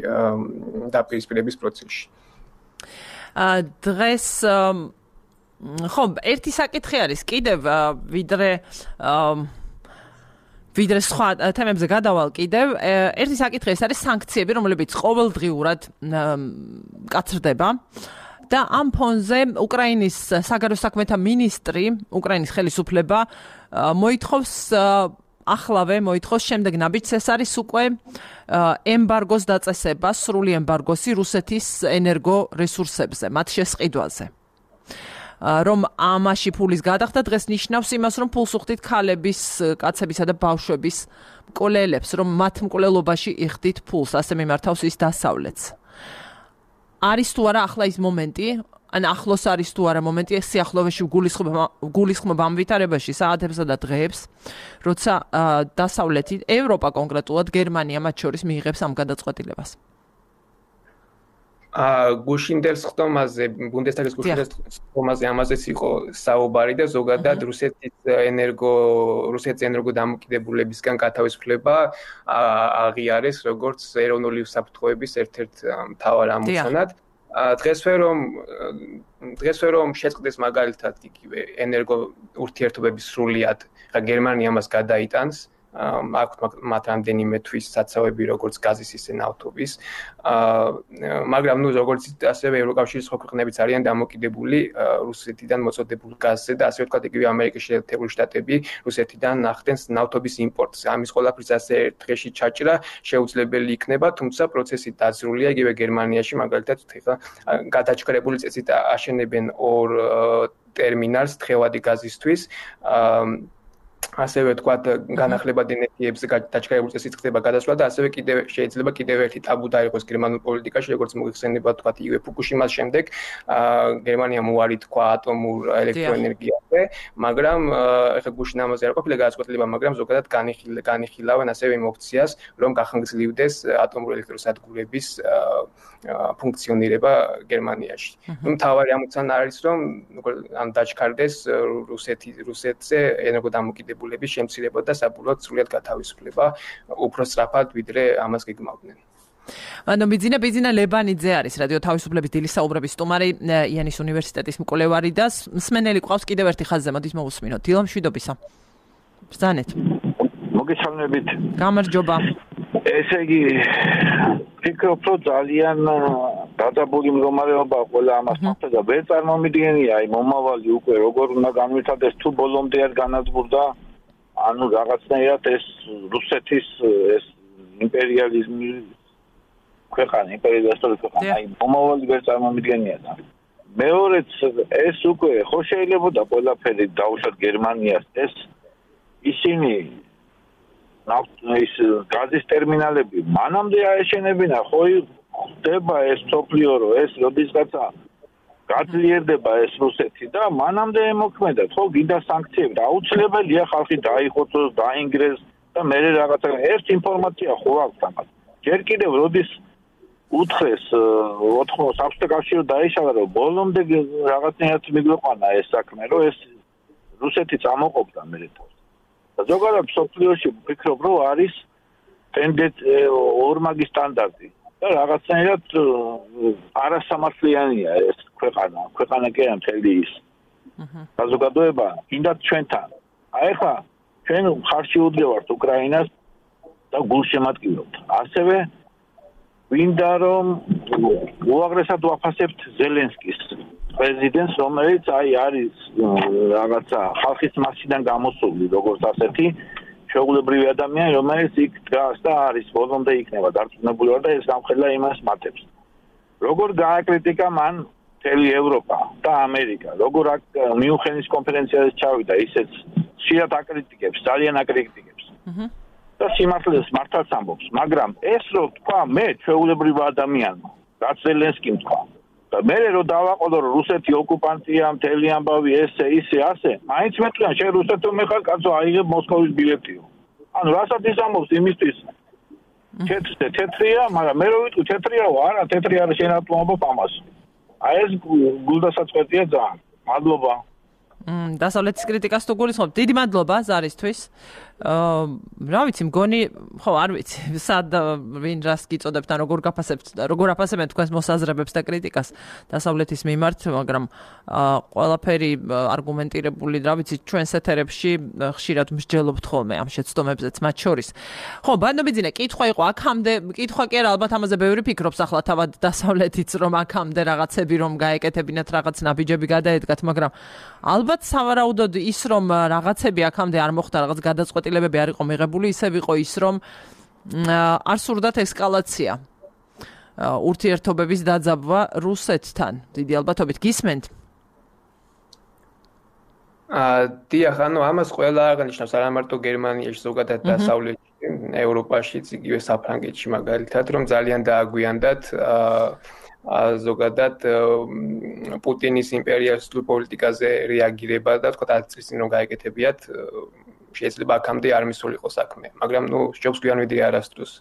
დაპირისპირების პროცესში. დღეს ხო, ერთი საკითხი არის კიდევ ვიდრე სხვა თემებზე გადავალ კიდევ. ერთი საკითხი ეს არის სანქციები, რომლებიც ყოველდღიურად კაცრდება. და ამ ფონზე უკრაინის საგარეო საქმეთა მინისტრი, უკრაინის ხელისუფლება მოითხოვს შემდეგ ნაბიჯს ეს არის უკვე ემბარგოს დაწესება, სრული ემბარგოსი რუსეთის ენერგორესურსებზე, მათ შესყიდვაზე. რომ ამაში ფულის გადახდა დღეს ნიშნავს იმას, რომ ფულს უხდით ქალების, კაცებისა და ბავშვების მკვლელებს, რომ მათ მკვლელობაში იხდით ფულს, ასე მიმართავს ის დასავლეთს. არის თუ არა ახლა ის მომენტი, ან ახლოს არის თუ არა მომენტი ეს სიახლოვეში გულისხმობა ამ ვითარებაში საათებსა და დღეებს, როცა დასავლეთი, ევროპა კონკრეტულად გერმანია მათ შორის მიიღებს ამ გადაწყვეტილებას. გუშინდელ ხტომაზე, ბუნდესტაგის გუშინდელ ხტომაზე ამაზეც იყო საუბარი და ზოგადად რუსეთის ენერგო დამოკიდებულებისგან გათავისუფლება აღიარეს როგორც ეროვნული უსაფრთხოების ერთ-ერთ მთავარ ამოცანად. დღეს რომ შეწყდეს მაგალითად იგივე ენერგო ურთიერთობების სრულიად, ხა გერმანია მას გადაიტანს, აქვს მათ რამდენიმე თვის საცავები როგორც გაზის ისე ნავთობის, მაგრამ ნუ როგორც ასევე ევროკავშირის სხვა ქვეყნებიც არიან დამოკიდებული რუსეთიდან მოწოდებულ გაზზე და ასე ვთქვათ იგივე ამერიკის შეერთებული შტატები რუსეთიდან ახდენს ნავთობის იმპორტს. ამის ყველაფრის ასე დღეში ჩაჭრა შეუძლებელი იქნება, თუმცა პროცესი დაძრულია იგივე გერმანიაში მაგალითად ხა გადაჭრებული წესით აშენებენ ორ ტერმინალს თხევადი გაზისთვის. ასევე თქვათ განახლება დინეთიებზე დაჩქარებული წესით ხდება გადასვლა და ასევე შეიძლება კიდევ ერთი ტაბუ დაიყოს გერმანულ პოლიტიკაში, როგორც მოიხსენება თქვათ იგივე ფუკუშიმას შემდეგ გერმანიამ უარი თქვა ატომურ ელექტროენერგიაზე, მაგრამ ეხლა გუშინ ამაზე არ ყოფილა გადაწყვეტილება, მაგრამ ზოგადად განიხილავენ ასევე იმ ოფციას, რომ გახანგრძლივდეს ატომური ელექტროსადგურების ფუნქციონირება გერმანიაში. მთავარი ამოცანა არის, რომ ან დაჩქარდეს რუსეთზე ენერგოდამოკიდებულების შემცირება და საბოლოოდ სრულად გათავისუფლება უფრო სწრაფად, ვიდრე ამას გეგმავდნენ. ანუ ბიძინა ლებანიძე არის რადიო თავისუფლების დილის საუბრების სტუმარი, იანის უნივერსიტეტის მკვლევარი და მსმენელი ყავს კიდევ ერთი ხაზზე, მოდით მოვუსმინოთ. დილა მშვიდობისა. ბრძანეთ. მოგესალმებით. გამარჯობა. ესე იგი ფიქრობ, რომ ძალიან დაძაბული მდგომარეობა ყველა ამას მოხდა და ვერ წარმომიდგენია აი მომავალი უკვე როგორ უნდა განვითარდეს თუ ბოლომდე არ განადგურდა ანუ რაღაცნაირად ეს რუსეთის ეს იმპერიალიზმი ქვეყანა იმპერიალისტური ქვეყანა აი მომავალი ვერ წარმომიდგენია და მეორეც ეს უკვე ხო შეიძლებოდა ყველაფერი დაუშვათ გერმანიას ეს ისინი ის გაზის ტერმინალები მანამდე აეშენებინა ხო ხდება ეს სოფლიო რო ეს როდისღაცა გაძლიერდება ეს რუსეთი და მანამდე ემოქმედათ ხო გინდა სანქციები აუცილებელია ხალხი დაიხოცოს დაინგრეს და მე რაღაცა ეს ინფორმაცია ხო აქვს ამას ჯერ კიდევ როდის უთხრეს 4 საბჭოთა კავშირი დაიშალა რომ ბოლომდე რაღაცნაირად მიგვეყვანა ეს საქმე რომ ეს რუსეთი წამოყოფდა მე ზოგადად სოფლიოში ვფიქრობ რომ არის ორმაგი სტანდარტი და რაღაცნაირად არასამართლიანია ეს ქვეყანა კი არა მთელი ის საზოგადოება კიდაც ჩვენთან აი ხა ჩვენ ხარში უდგევართ უკრაინას და გულშემატკივრობთ ასევე ვინდა რომ უაღრესად ვაფასებთ ზელენსკის პრეზიდენტს რომელიც აი არის რაღაცა ხალხის მასიდან გამოსული როგორც ასეთი შეუულებრივი ადამიანი რომელიც იქ დგას და არის ბოლომდე იქნება დარწმუნებული ვარ და ეს გამხელა იმას მატებს როგორ გააკრიტიკა მან მთელი ევროპა და ამერიკა როგორ მიუნხენის კონფერენციაზე ჩავიდა ისეც ხშირად აკრიტიკებს ძალიან აკრიტიკებს და სიმართლეს მართალს ამბობს მაგრამ ეს რო თქვა მე შეუულებრივი ადამიანმა რაც ზელენსკიმ თქვა და მე რო დავაყოლო რომ რუსეთი ოკუპანტია მთელი ამბავი ესე ისე ასე მაინც მეტყვიან შენ რუსეთო მე ხარ კაცო აიღებ მოსკოვის ბილეტიო ანუ რასაც ის ამბობს იმისთვის თეთრია მაგრამ მე რო ვიტყვი თეთრიაო არა თეთრი არის შენ რატომ ამბობ ამას აი ეს გულდასაწყვეტია ძალიან მადლობა დასავლეთის κρიტიკას თუ გულისხმობ დიდი მადლობა ზარისთვის რა ვიცი მგონი ხო არ ვიცი სად ვინ რას გიწოდებთ ან როგორ აფასებენ თქვენს მოსაზრებებს და კრიტიკას დასავლეთის მიმართ მაგრამ ყველაფერი არგუმენტირებული რა ვიცი ჩვენს ეთერებში ხშირად მსჯელობთ ხოლმე ამ შეცდომებზეც მათ შორის ხო ბანობიძინე კითხვა იყო აქამდე კითხვა კი არა ალბათ ამაზე ბევრი ფიქრობს ახლა თავად დასავლეთიც რომ აქამდე რაღაცები რომ გაეკეთებინათ რაღაც ნაბიჯები გადაედგათ მაგრამ ალბათ სავარაუდოდ ის რომ რაღაცები აქამდე არ მოხდა რაღაც გადაწყვეტილებები არ იყო მიღებული ისევ იყო ის რომ არ სურდათ ესკალაცია ურთიერთობების დაძაბვა რუსეთთან დიდი ალბათობით გისმენთ დიახ ანუ ამას ყველა აღნიშნავს არა მარტო გერმანიაში ზოგადად დასავლეთში ევროპაშიც იგივე საფრანგეთში მაგალითად რომ ძალიან დააგვიანდათ ზოგადად პუტინის იმპერიალისტურ პოლიტიკაზე რეაგირება და თქვა 10 წლის წინ რომ გაეკეთებიათ შეიძლება აქამდე არ მისულიყო საქმე მაგრამ ნუ სჯობს გვიან ვიდრე არასდროს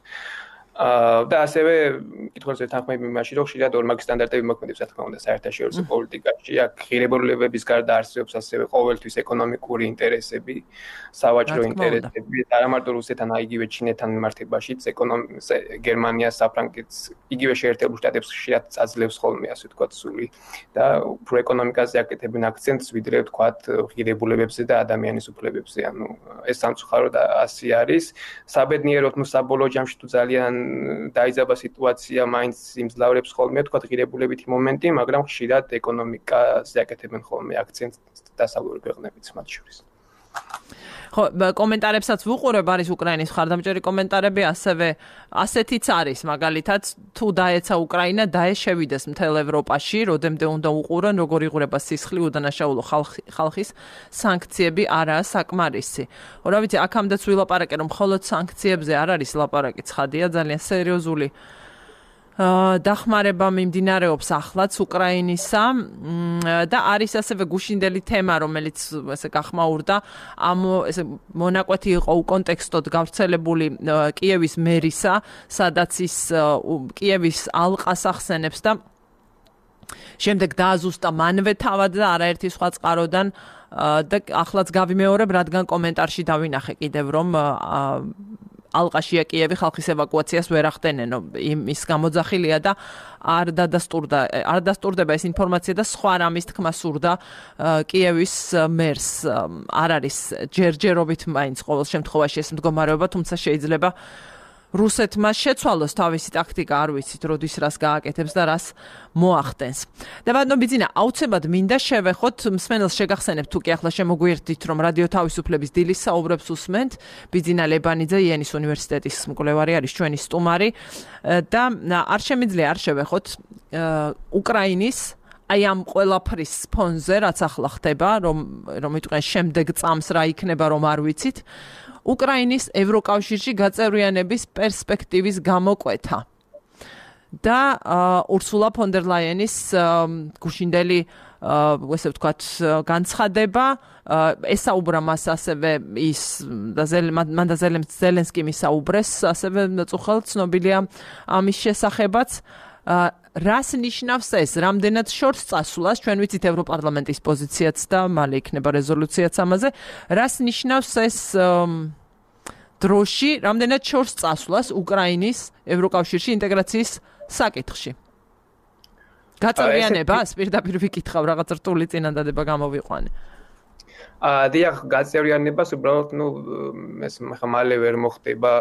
და ასევე კითხულს ეთანხმები იმაში რომ ხშირად ორმაგი სტანდარტები მოქმედებს რა თქმა უნდა საერთაშორისო პოლიტიკაში აქ ღირებულებების გარდა არსებობს ასევე ყოველთვის ეკონომიკური ინტერესები სავაჭრო ინტერესები არა მარტო რუსეთთან აიგივე ჩინეთთან მიმართებაშიც გერმანიას საფრანგეთს იგივე შეერთებულ შტატებს ხშირად აძლევს ხოლმე ასე ვთქვათ სული და უფრო ეკონომიკაზე აკეთებენ აქცენტს ვიდრე ვთქვათ ღირებულებებზე და ადამიანის უფლებებზე ანუ ეს სამწუხაროდ ასე არის საბედნიეროდ ნუ საბოლოო ჯამში თუ ძალიან დაიძაბა სიტუაცია მაინც იმძლავრებს ხოლმე თქვა ღირებულებითი მომენტი მაგრამ ხშირად ეკონომიკაზე აკეთებენ ხოლმე აქცენტს დასავლური ქვეყნებიც მათ შორის ხო, კომენტარებსაც ვუყურებ, არის უკრაინის მხარდამჭერი კომენტარები, ასევე ასეთიც არის, მაგალითად, თუ დაეცა უკრაინა, შევიდეს მთელ ევროპაში, როდემდე უნდა უყურონ, როგორ იღურება სისხლი უდანაშაულო ხალხის სანქციები არაა საკმარისი. რა ვიცი, აქამდეც ვილაპარაკე, რომ მხოლოდ სანქციებზე არ არის ლაპარაკი, ცხადია, ძალიან სერიოზული დახმარება მიმდინარეობს ახლაც უკრაინისა და არის ასევე გუშინდელი თემა, რომელიც ესე გახმაურდა, ესე მონაკვეთი იყო უკონტექსტოდ გავრცელებული კიევის მერისა, სადაც ის კიევის ალყას ახსენებს და შემდეგ დააზუსტა მანვე თავად და არაერთი სხვა წყაროდან და ახლაც გავიმეორებ, რადგან კომენტარში დავინახე კიდევ, რომ ალყაშია კიევი ხალხის ევაკუაციას ვერ ახდენენ, ის გამოძახილია და არ დადასტურდება ეს ინფორმაცია და სხვა რამის თქმა სურდა კიევის მერს. არ არის ჯერჯერობით მაინც ყოველ შემთხვევაში ეს მდგომარეობა, თუმცა შეიძლება რუსეთმა შეცვალოს თავისი ტაქტიკა, არ ვიცით, როდის რას გააკეთებს და რას მოახდენს. და ბატონო ბიძინა, აუცილებლად მინდა შევეხოთ, მსმენელს შეგახსენებთ, თუ კი ახლა შემოგვიერთდით, რომ რადიო თავისუფლების დილის საუბრებს უსმენთ, ბიძინა ლებანიძე, იენის უნივერსიტეტის მკვლევარი არის ჩვენი სტუმარი და არ შემიძლია არ შევეხოთ უკრაინის აი ამ ყველაფრის ფონზე, რაც ახლა ხდება, რომ იტყვიან შემდეგ წამს რა იქნება, რომ არ ვიცით, უკრაინის ევროკავშირში გაწევრიანების პერსპექტივის გამოკვეთა და ურსულა ფონ დერ ლაიენის გუშინდელი ესე ვთქვათ განცხადება ესაუბრა მას ასევე ის მან და ზელენსკიმ ისაუბრეს ასევე წუხელ ცნობილია ამის შესახებაც რას ნიშნავს ეს რამდენად შორს წასვლას ჩვენ ვიცით ევროპარლამენტის პოზიციაც და მალე იქნება რეზოლუციაც ამაზე რას ნიშნავს ეს დროში რამდენად შორს წასვლას უკრაინის ევროკავშირში ინტეგრაციის საკითხში გაწევრიანებას პირდაპირ ვიკითხავ რაღაც რთული წინადადება გამოვიყვანე დიახ გაწევრიანებას უბრალოდ ეს მალე ვერ მოხდება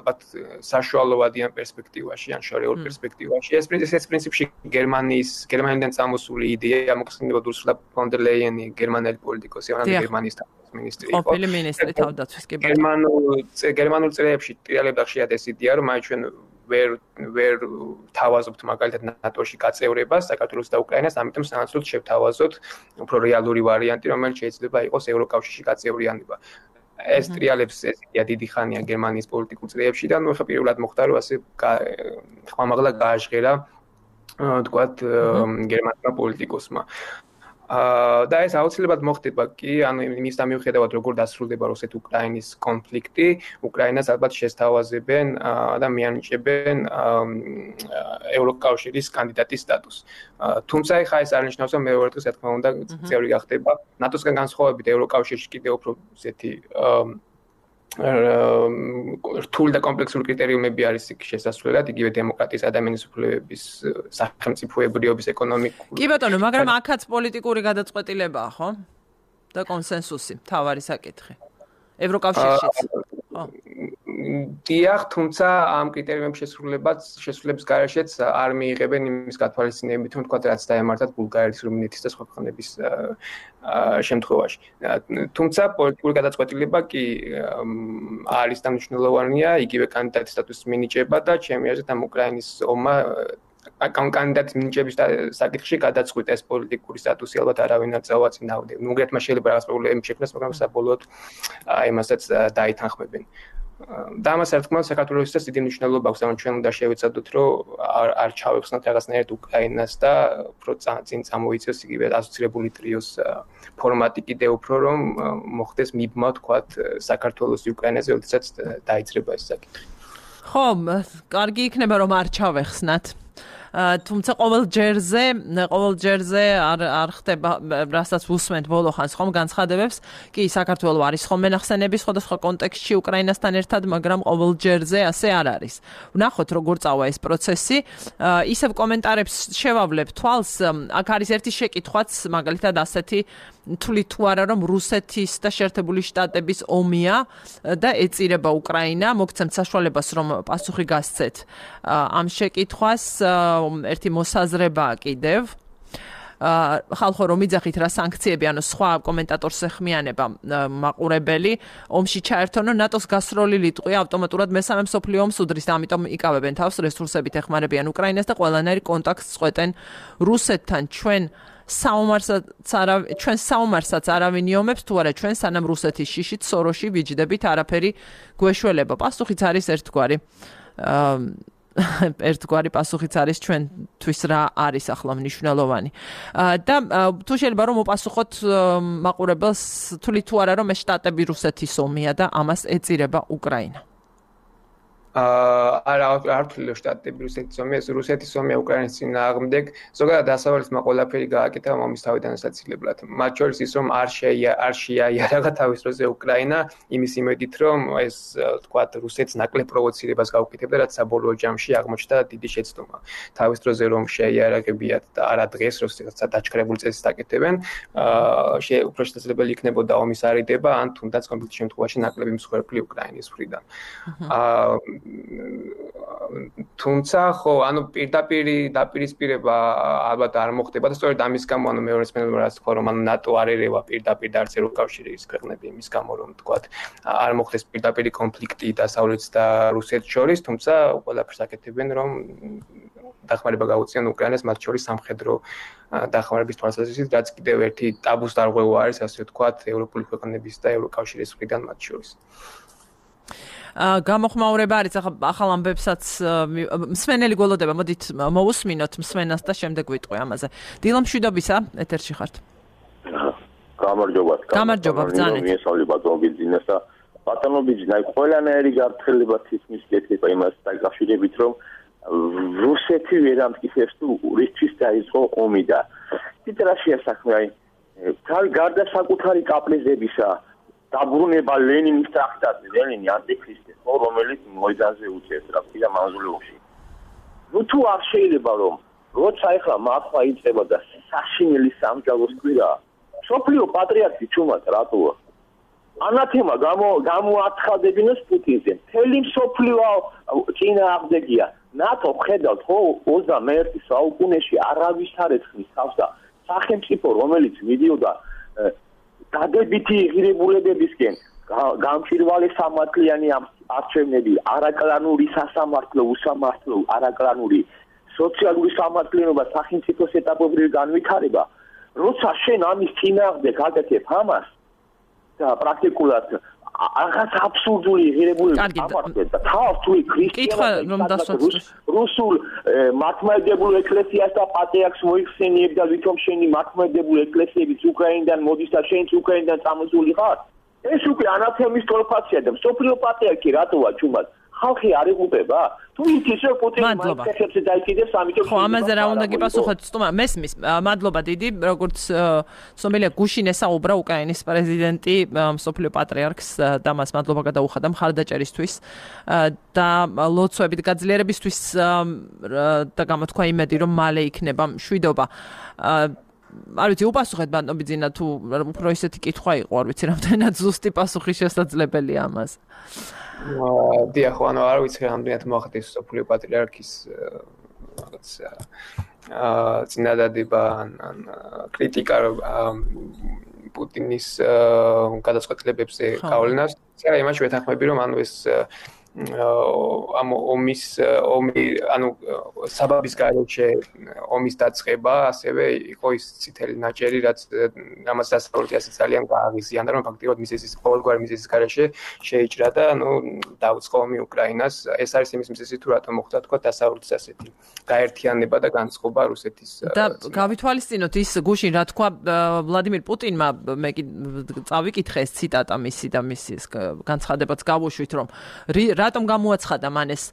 ალბათ საშუალოვადიან პერსპექტივაში ან შორეულ პერსპექტივაში ეს პრინციპში გერმანიდან წამოსული იდეა მოხსნებოდა ურსულა ფონ დერ ლაიენი გერმანელი პოლიტიკოსი გერმანიის მინისტრი იყო ყოფილი მინისტრი თავდაცვის კი გერმანულ წრეებში ტრიალებდა ხშირად ეს იდეა რომ აი ჩვენ ვერ თავაზობთ მაგალითად ნატოში გაწევრებას საქართველოს და უკრაინას, ამიტომ სანაცვლოდ შევთავაზოთ უფრო რეალური ვარიანტი, რომელიც შეიძლება იყოს ევროკავშირში გაწევრიანება. ეს ტრიალებს ეს იდეა დიდი ხანია გერმანიის პოლიტიკურ წრეებში და ნუ ხა პირველად მოხდა რომ ასე ხმამაღლა გააჟღერა თქვათ გერმანულმა პოლიტიკოსმა. და ეს აუცილებლად მოხდება კი, ანუ იმის მიუხედავად როგორ დასრულდება რუსეთ-უკრაინის კონფლიქტი, უკრაინას ალბათ შესთავაზებენ და მიანიჭებენ ევროკავშირის კანდიდატის სტატუსს. თუმცა ხა ეს არ ნიშნავს, რომ მეორე დღეს რა თქმა უნდა წევრი გახდება. ნატოსგან განსხვავებით ევროკავშირში კიდევ უფრო ესეთი რთული და კომპლექსური კრიტერიუმები არის იქ შესასვლელად, იგივე დემოკრატიის, ადამიანის უფლებების, სახელმწიფოებრიობის, ეკონომიკური. კი ბატონო, მაგრამ აქაც პოლიტიკური გადაწყვეტილებაა, ხო? და კონსენსუსი, თავარი საკითხი. ევროკავშირშიც. ხო. დიახ, თუმცა ამ კრიტერიუმების შესრულების გარეშეც არ მიიღებენ იმის გათვალისწინებით, რომ თქვათ რაც დაემართათ ბულგარეთის, რუმინეთის და სხვა ქვეყნების შემთხვევაში. თუმცა პოლიტიკური გადაწყვეტილება კი არის დამნიშნულოვანია, იგივე კანდიდატის სტატუსის მინიჭება და ჩემი აზრით ამ უკრაინის ომმა კანდიდატის მინიჭების საკითხში გადაწყვიტა ეს პოლიტიკური სტატუსი, ალბათ არავინ არ წავაწინავდა. უნგრეთმა შეიძლება რაღაც პრობლემები შექმნას, მაგრამ საბოლოოდ იმასაც დაითანხმებენ. და ამას რა თქმა უნდა საქართველოსაც დიდი მნიშვნელობა აქვს, ანუ ჩვენ უნდა შევეცადოთ, რომ არ ჩავეხსნათ რაღაცნაირად უკრაინას და უფრო წინ წამოიწევს იგივე ასოცირებული ტრიოს ფორმატი კიდევ უფრო რომ მოხდეს მიბმა თქვათ საქართველოს უკრაინაზე, როდესაც დაიძრება ეს საკითხი. ხო, კარგი იქნება რომ არ ჩავეხსნათ. თუმცა ყოველ ჯერზე არ ხდება, რასაც ვუსმენთ ბოლო ხანს ხომ განცხადებებს, კი საქართველოს არის ხომ მენახსენები სხვადასხვა კონტექსტში უკრაინასთან ერთად, მაგრამ ყოველ ჯერზე ასე არ არის. ვნახოთ როგორ წავა ეს პროცესი. ისევ კომენტარებს შევავლებ თვალს, აქ არის ერთი შეკითხვაც, მაგალითად ასეთი თვლით თუ არა რომ რუსეთის და შეერთებული შტატების ომია და ეწირება უკრაინა, მოგცემთ საშუალებას რომ პასუხი გასცეთ ამ შეკითხვას, ერთი მოსაზრებაა კიდევ. ხალხო რომ იძახით რა სანქციები, ანუ სხვა კომენტატორს ეხმიანება მაყურებელი ომში ჩაერთონო, ნატოს გასროლილი ტყვია ავტომატურად მესამე მსოფლიო ომს უდრის და ამიტომ იკავებენ თავს რესურსებით ეხმარებიან უკრაინას და ყველანაირი კონტაქტს წყვეტენ რუსეთთან. ჩვენ საომარსაც არავინ იომებს თუ არა ჩვენ სანამ რუსეთის შიშით სოროში ვიჯდებით არაფერი გვეშველება. პასუხიც არის ერთგვარი პასუხიც არის ჩვენთვის რა არის ახლა მნიშვნელოვანი. და თუ შეიძლება რომ მოპასუხოთ მაყურებელს თვლით თუ არა რომ ეს შტატები რუსეთის ომია და ამას ეწირება უკრაინა. არ თვლი შტატები რუსეთის ომია, ეს რუსეთის ომია უკრაინის წინააღმდეგ. ზოგადად დასავლეთმა ყველაფერი გააკეთა ომის თავიდან სასაცილებლად. მათ შორის ის რომ არ შეაიარა თავის დროზე უკრაინა, იმის იმედით რომ ეს თქვათ რუსეთს ნაკლებ პროვოცირებას გაუკეთებდა, რაც საბოლოო ჯამში აღმოჩნდა დიდი შეცდომა. თავის დროზე რომ შეაიარებიათ და არა დღეს, როდესაც დაჩქრებული წესს დაკეთებენ, უფრო შესაძლებელი იქნებოდა ომის არიდება, ან თუნდაც კონკრეტულ შემთხვევაში ნაკლები მსხვერპლი უკრაინის მხრიდან. თუმცა ხო, ანუ პირდაპირ დაპირისპირება ალბათ არ მოხდება და სწორედ ამის გამო, ანუ მეორე სპეციფიკურად თქვა რომ ანუ ნატო არ ერევა პირდაპირ და არც ევროკავშირის ქვეყნები იმის გამო რომ თქვათ არ მოხდეს პირდაპირი კონფლიქტი დასავლეთს და რუსეთს შორის, თუმცა ყველაფერს აკეთებენ რომ დახმარება გაუწიონ უკრაინას, მათ შორის სამხედრო დახმარების თვალსაზრისით, რაც კიდევ ერთი ტაბუს დარღვევა არის, ასე ვთქვათ, ევროპული ქვეყნების და ევროკავშირის მხრიდან მათ შორის. გამოხმაურება არის ახალ ამბებსაც მსმენელი გველოდება, მოდით მოусმინოთ მსმენელს და შემდეგ ვიტყვი ამაზე. დილა მშვიდობისა, ეთერში ხართ. გამარჯობა, ბრძანეთ. ბატონო ბიძინა, ყველანაირი გაფრთხილება თითქმის გექნება იმას დაკავშირებით, რომ რუსეთი ვერ ამტკიცებს თუ რისთვის დაიწყო ომი და თითრაშია საქმე, გარდა საკუთარი კაპრიზებისა დაბრუნება ლენინის ტრაქტატზე, ლენინი ანტიქრისტი, რომელიც მოედანზე უწევს რა ქვია მავზოლეუმში. ნუ თუ არ შეიძლება რომ როცა ეხლა მართლა იწყება და საშინელი სამჯალოს კვირა, სოფლიო პატრიარქი ჩუმად რატოა? ანათემა გამოაცხადებინოს პუტინზე. მთელი სოფლიო წინააღმდეგია. ნატო ხედავთ ხო 21 საუკუნეში არავის არ ეცხნის თავს და სახელმწიფო რომელიც მიდიოდა დადებითი ღირებულებებისკენ გამჭირვალე სამართლიანი არჩევნები, არაკლანური სასამართლო, უსამართლო, არაკლანური სოციალური სამართლიანობა, სახელმწიფოს ეტაპობრივი განვითარება, როცა შენ ამის წინააღმდეგ გაკეთებ ამას და პრაქტიკულად რაღაც აბსურდული ღირებულებები ამართებ და თავს თუ ქრისტიანებს რუსულ მართლმადიდებლურ ეკლესიას და პატრიარქს მოიხსენიებ და ვითომ შენი მართლმადიდებლური ეკლესიებიც უკრაინიდან მოდის და შენც უკრაინიდან წამოსული ხარ? ეს უკვე ანათემის თოლფაცია და სოფლიო პატრიარქი რატოა ჩუმად? ხალხი არ იღუპება? თუ იცის რომ პუტინი მაინტერესებს დაიჭირებს ამიტომ ხო ამაზე რა უნდა გიპასუხოთ სტუმარ მესმის მადლობა დიდი როგორც სომელია გუშინ ესაუბრა უკრაინის პრეზიდენტი სოფლიო პატრიარქს და მას მადლობა გადაუხადა მხარდაჭერისთვის და ლოცვებით გაძლიერებისთვის და გამოთქვა იმედი რომ მალე იქნება მშვიდობა არ ვიცი უპასუხეთ ბატონო ბიძინა თუ უფრო ისეთი კითხვა იყო არ ვიცი რამდენად ზუსტი პასუხი შესაძლებელია ამას დიახ, ანუ არ ვიცი რამდენად მოახდეს სოფლიო პატრიარქის რაღაც წინადადება ან კრიტიკა პუტინის გადაწყვეტილებებზე გავლენას. იმაში ვეთანხმები რომ ანუ ეს ომი ანუ საბაბის გარეშე ომის დაწყება ასევე იყო ის წითელი ნაჭერი რაც ამას დასავლეთი ასე ძალიან გააღიზიანდა რომ ფაქტობრივად მიზეზის ყოველგვარი მიზეზის გარეშე შეიჭრა და ანუ დაუწყო ომი უკრაინას ეს არის იმის მიზეზი თუ რატომ მოხდა თქვა დასავლეთის ასეთი გაერთიანება და განწყობა რუსეთის და გავითვალისწინოთ ის გუშინ რა თქვა ვლადიმირ პუტინმა მე წავიკითხე ეს ციტატა მისი და მის განცხადებაც გავუშვით რომ რატომ გამოაცხადა მან ეს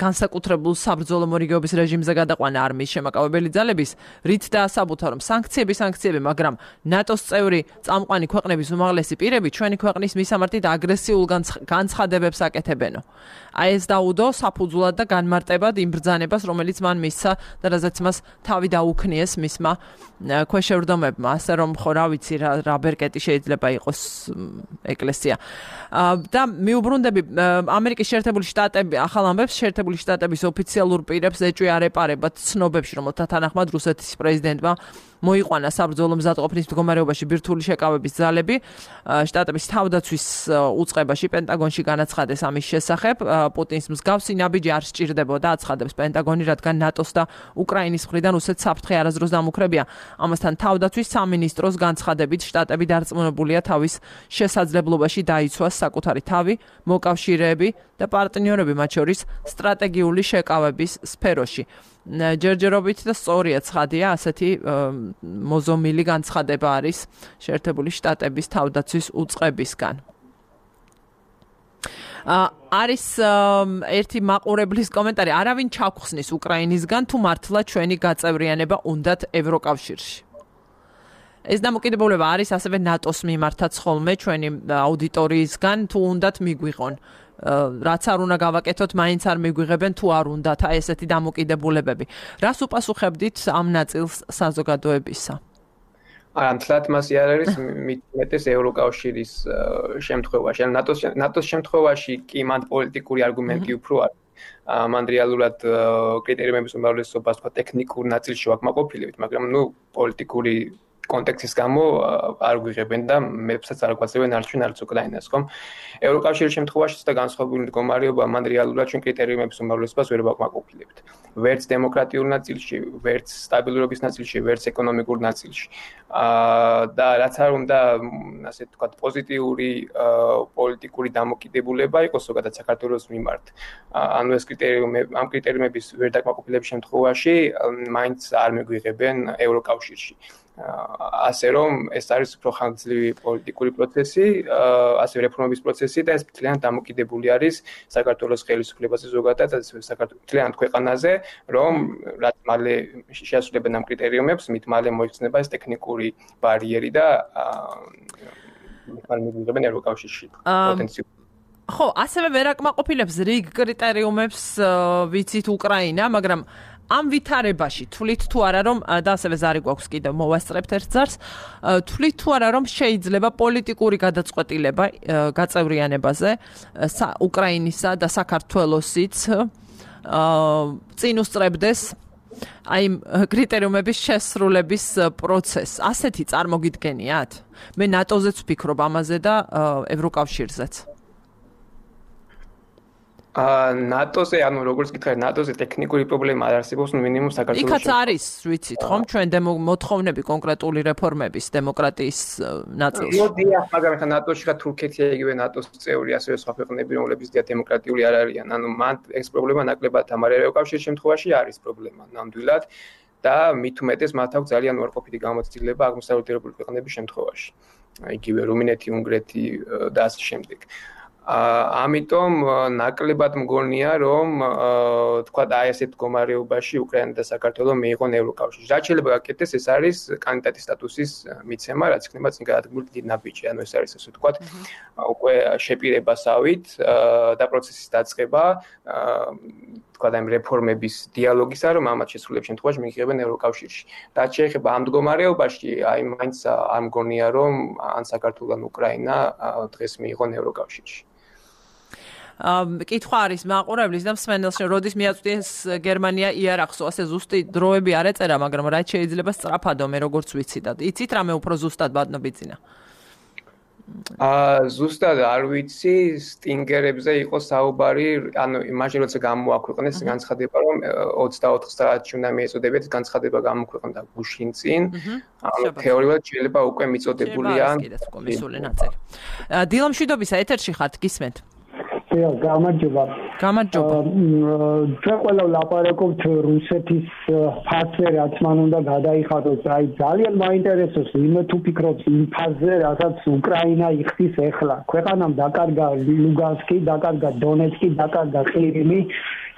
განსაკუთრებულ საბრძოლო მორიგეობის რეჟიმზე გადაყვანა არმიის შემაკავებელი ძალების, რით დაასაბუთა რომ სანქციები, მაგრამ ნატოს წევრი წამყვანი ქვეყნების უმაღლესი პირები ჩვენი ქვეყნის მისამართით აგრესიულ განცხადებებს აკეთებენო. აი ეს დაუდო საფუძვლად და განმარტებად იმ ბრძანებას, რომელიც მან მისცა და რაზეც მას თავი დაუქნიეს მისმა ქვეშევრდომებმა, ასე რომ ხო რა ვიცი რა ბერკეტი შეიძლება იყოს ეკლესია. და მიუბრუნდები ამერიკის ამერიკის შეერთებული შტატები ახალ ამბებს შეერთებული შტატების ოფიციალურ პირებს ეჭვი არ ეპარებათ ცნობებში, რომელთა თანახმად რუსეთის პრეზიდენტმა მოიყვანა საბრძოლო მზადყოფნის მდგომარეობაში ბირთვული შეკავების ძალები. შტატების თავდაცვის უწყებაში პენტაგონში განაცხადეს ამის შესახებ. პუტინის მსგავსი ნაბიჯი არ სჭირდებოდა, აცხადებს პენტაგონი, რადგან ნატოს და უკრაინის მხრიდან რუსეთს საფრთხე არასდროს დამუქრებია. ამასთან თავდაცვის სამინისტროს განცხადებით შტატები დარწმუნებულია თავის შესაძლებლობაში დაიცვას საკუთარი თავი, მოკავშირეები და პარტნიორები, მათ შორის სტრატეგიული შეკავების სფეროში. ჯერჯერობით და სწორია ცხადია, ასეთი მოზომილი განცხადება არის შეერთებული შტატების თავდაცვის უწყებისგან. არის ერთი მაყურებლის კომენტარი, არავინ ჩაგხსნის უკრაინისგან, თუ მართლა ჩვენი გაწევრიანება უნდათ ევროკავშირში. ეს დამოკიდებულება არის ასევე ნატოს მიმართაც ხოლმე ჩვენი აუდიტორიისგან, თუ უნდათ მიგვიღონ. რაც არ უნდა გავაკეთოთ, მაინც არ მიგვიღებენ თუ არ უნდათ, აი ესეთი დამოკიდებულებები. რას უპასუხებდით ამ ნაწილს საზოგადოებისა? ამთლად მასი არ არის მეტეს ევროკავშირის შემთხვევაში. ნატოს შემთხვევაში კი მანდ პოლიტიკური არგუმენტი უფრო არის. მან რეალურად კრიტერიუმების უმრავლესობას თქვა ტექნიკურ ნაწილში ვაკმაყოფილებით, მაგრამ პოლიტიკური კონტექსტის გამო არ გვიღებენ და მეებსაც არ გვაძლევენ არც უკრაინას, ხომ? ევროკავშირის შემთხვევაშიც და განსხვავებული მდგომარეობა, მან რეალურად ჩვენ კრიტერიუმების უმრავლესობას ვერ ვაკმაყოფილებთ. ვერც დემოკრატიულ ნაწილში, ვერც სტაბილურობის ნაწილში, ვერც ეკონომიკურ ნაწილში. და რაც არ უნდა, ასე ვთქვათ, პოზიტიური პოლიტიკური დამოკიდებულება იყოს ზოგადად საქართველოს მიმართ. ანუ ეს ამ კრიტერიუმების ვერ დაკმაყოფილების შემთხვევაში მაინც არ მიგვიღებენ ევროკავშირში. ასე რომ ეს არის უფრო ხანგრძლივი პოლიტიკური პროცესი, ასე რეფორმების პროცესი და ეს ძალიან დამოკიდებული არის საქართველოს ხელისუფლებაზე ზოგადად, საქართველოს ძალიან ქვეყანაზე, რომ რაც მალე შეასრულებენ ამ კრიტერიუმებს, მით მალე მოიხსნება ეს ტექნიკური ბარიერი და მალე მიიღებენ ევროკავშირში პოტენციალი. ხო, ასევე ვერ აკმაყოფილებს რიგ კრიტერიუმებს ვიცით უკრაინა, მაგრამ ამ ვითარებაში თვლით თუ არა რომ და ასევე ზარი გვაქვს კიდევ მოვასწრებთ ერთ ძარს, თვლით თუ არა რომ შეიძლება პოლიტიკური გადაწყვეტილება გაწევრიანებაზე უკრაინისა და საქართველოსიც წინ უსწრებდეს აი კრიტერიუმების შესრულების პროცესს. ასეთი წარმოგიდგენიათ? მე ნატოზეც ვფიქრობ ამაზე და ევროკავშირზეც. ნატოზე, ანუ როგორც გითხარით, ნატოზე ტექნიკური პრობლემა არ არსებობს, მინიმუმ საქართველოში. იქაც არის, ვიცით, ხომ, ჩვენ მოთხოვნები კონკრეტული რეფორმების დემოკრატიის ნაწილში. მოდია, მაგრამ ხა ნატოში ხა თურქეთია იგივე ნატოს წევრი, ასევე სხვა ქვეყნები, რომლებიც დემოკრატიული არ არიან. ანუ მან ეს პრობლემა ნაკლებად ამარ ევროკავშირის შემთხვევაში არის პრობლემა ნამდვილად და მით უმეტეს მათ აქვს ძალიან უარყოფითი გამოცდილება აღმოსავლეთური ქვეყნების შემთხვევაში. იგივე რუმინეთი, უნგრეთი და ასე შემდეგ. ამიტომ ნაკლებად მგონია რომ თქვა აი ასეთ მდგომარეობაში უკრაინა და საქართველო მიიღონ ევროკავშირში. რაც შეიძლება გაკეთდეს, ეს არის კანდიდატის სტატუსის მიცემა, რაც იქნება წინ გადადგმული დიდი ნაბიჯი. ანუ ეს არის ასე ვთქვათ, უკვე შეპირებასავით და პროცესის დაწყება, თქვა და რეფორმების დიალოგისა, რომ ამათ შესრულების შემთხვევაში მიიღებენ ევროკავშირში. რაც შეეხება ამ მდგომარეობაში, აი მაინც არ მგონია რომ ან საქართველო ან უკრაინა დღეს მიიღონ ევროკავშირში. კითხვა არის მაყურებლის და მსმენელს, როდის მიაწვდეს გერმანია იარაღს, ასე ზუსტი დროები არ ეწერა, მაგრამ რაც შეიძლება სწრაფადო მე როგორც ვიცი და იცით რამე უფრო ზუსტად ბატონებიძინა. ზუსტად არ ვიცი, სტინგერებზე იყო საუბარი, ანუ იმაში როცა გამოაქვეყნეს განცხადება, რომ 24 საათში უნდა მიეწოდებათ, განცხადება გამოქვეყნდა გუშინ წინ. ანუ თეორიულად შეიძლება უკვე მიწოდებულია. დილამშვიდობისა ეთერში ხართ, გისმენთ? გამარჯობა. გამარჯობა. ჩვენ ყველა ვლაპარაკობთ რუსეთის ფასზე, რაც მან უნდა გადაიხადოს. აი ძალიან მაინტერესებს იმ თუ ფიქრობთ იმ ფასზე, რასაც უკრაინა იხდის ახლა. ქვეყანამ დაკარგა ლუგანსკი, დაკარგა დონეცკი, დაკარგა ყირიმი.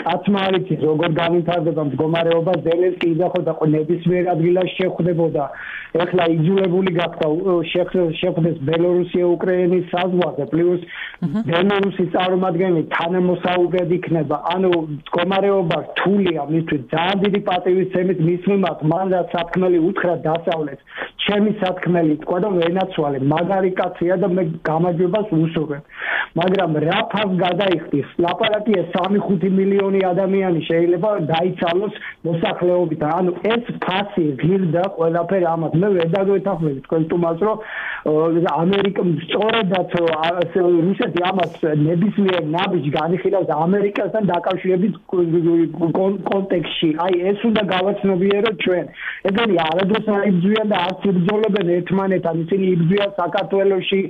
კაცმა არ იცის როგორ განვითარდება მდგომარეობა, ზელენსკი იძახოდა ნებისმიერ ადგილას შეხვდებოდა. ეხლა იძულებული გახდა შეხვდეს ბელორუსია უკრაინის საზღვარზე, პლუს ბელორუსის წარმომადგენელი თანამოსაუბრედ იქნება. ანუ მდგომარეობა რთულია მისთვის, ძალიან დიდი პატივისცემით მის მიმართ, მან რაც სათქმელი უთხრა დასავლეთს, ჩემი სათქმელი თქვა და ვენაცვალე, მაგარი კაცია და მე გამარჯვებას ვუსურვებ. მაგრამ რა ფას გადაიხდის? ლაპარაკია 3-5 მილიონი ადამიანი შეიძლება დაიცალოს მოსახლეობით. ანუ ეს ფასი ღირდა ყველაფერი ამას. მე ვერ დაგვეთანხმები თქვენ თუმას რომ ამერიკა სწორედაც რუსეთი ამას ნებისმიერ ნაბიჯს განიხილავს ამერიკასთან დაკავშირებით კონტექსტში. აი ეს უნდა გავაცნობიეროთ ჩვენ. ეგენი არადროს არ იბრძვიან და არც იბრძოლებენ ერთმანეთთან. ისინი იბრძვიან საქართველოში,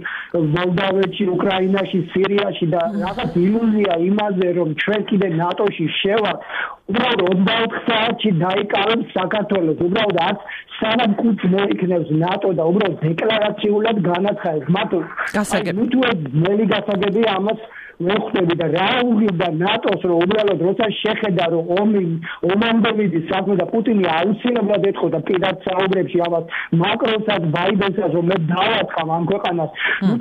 მოლდავეთში, უკრაინაში, სირიაში და რაღაც ილუზია იმაზე რომ ჩვენ კიდე ნატოში შევართ. უბრალოდ 24 საათში დაიკავებს საქართველოს. უბრალოდ არც სანამ კუთხე მოიქნევს ნატო და უბრალოდ დეკლარაციულად განაცხადებს. მათო თუ ძნელი გასაგებია ამას მოხდები და რა უღირდა ნატოს რომ უბრალოდ როცა შეხედა რომ ომამდე მიდის საქმე და პუტინი აუცილებლად ეთხოვდა პირად საუბრებში ამას მაკრონსაც ბაიდენსაც რომ მე დავაწყავ ამ ქვეყანას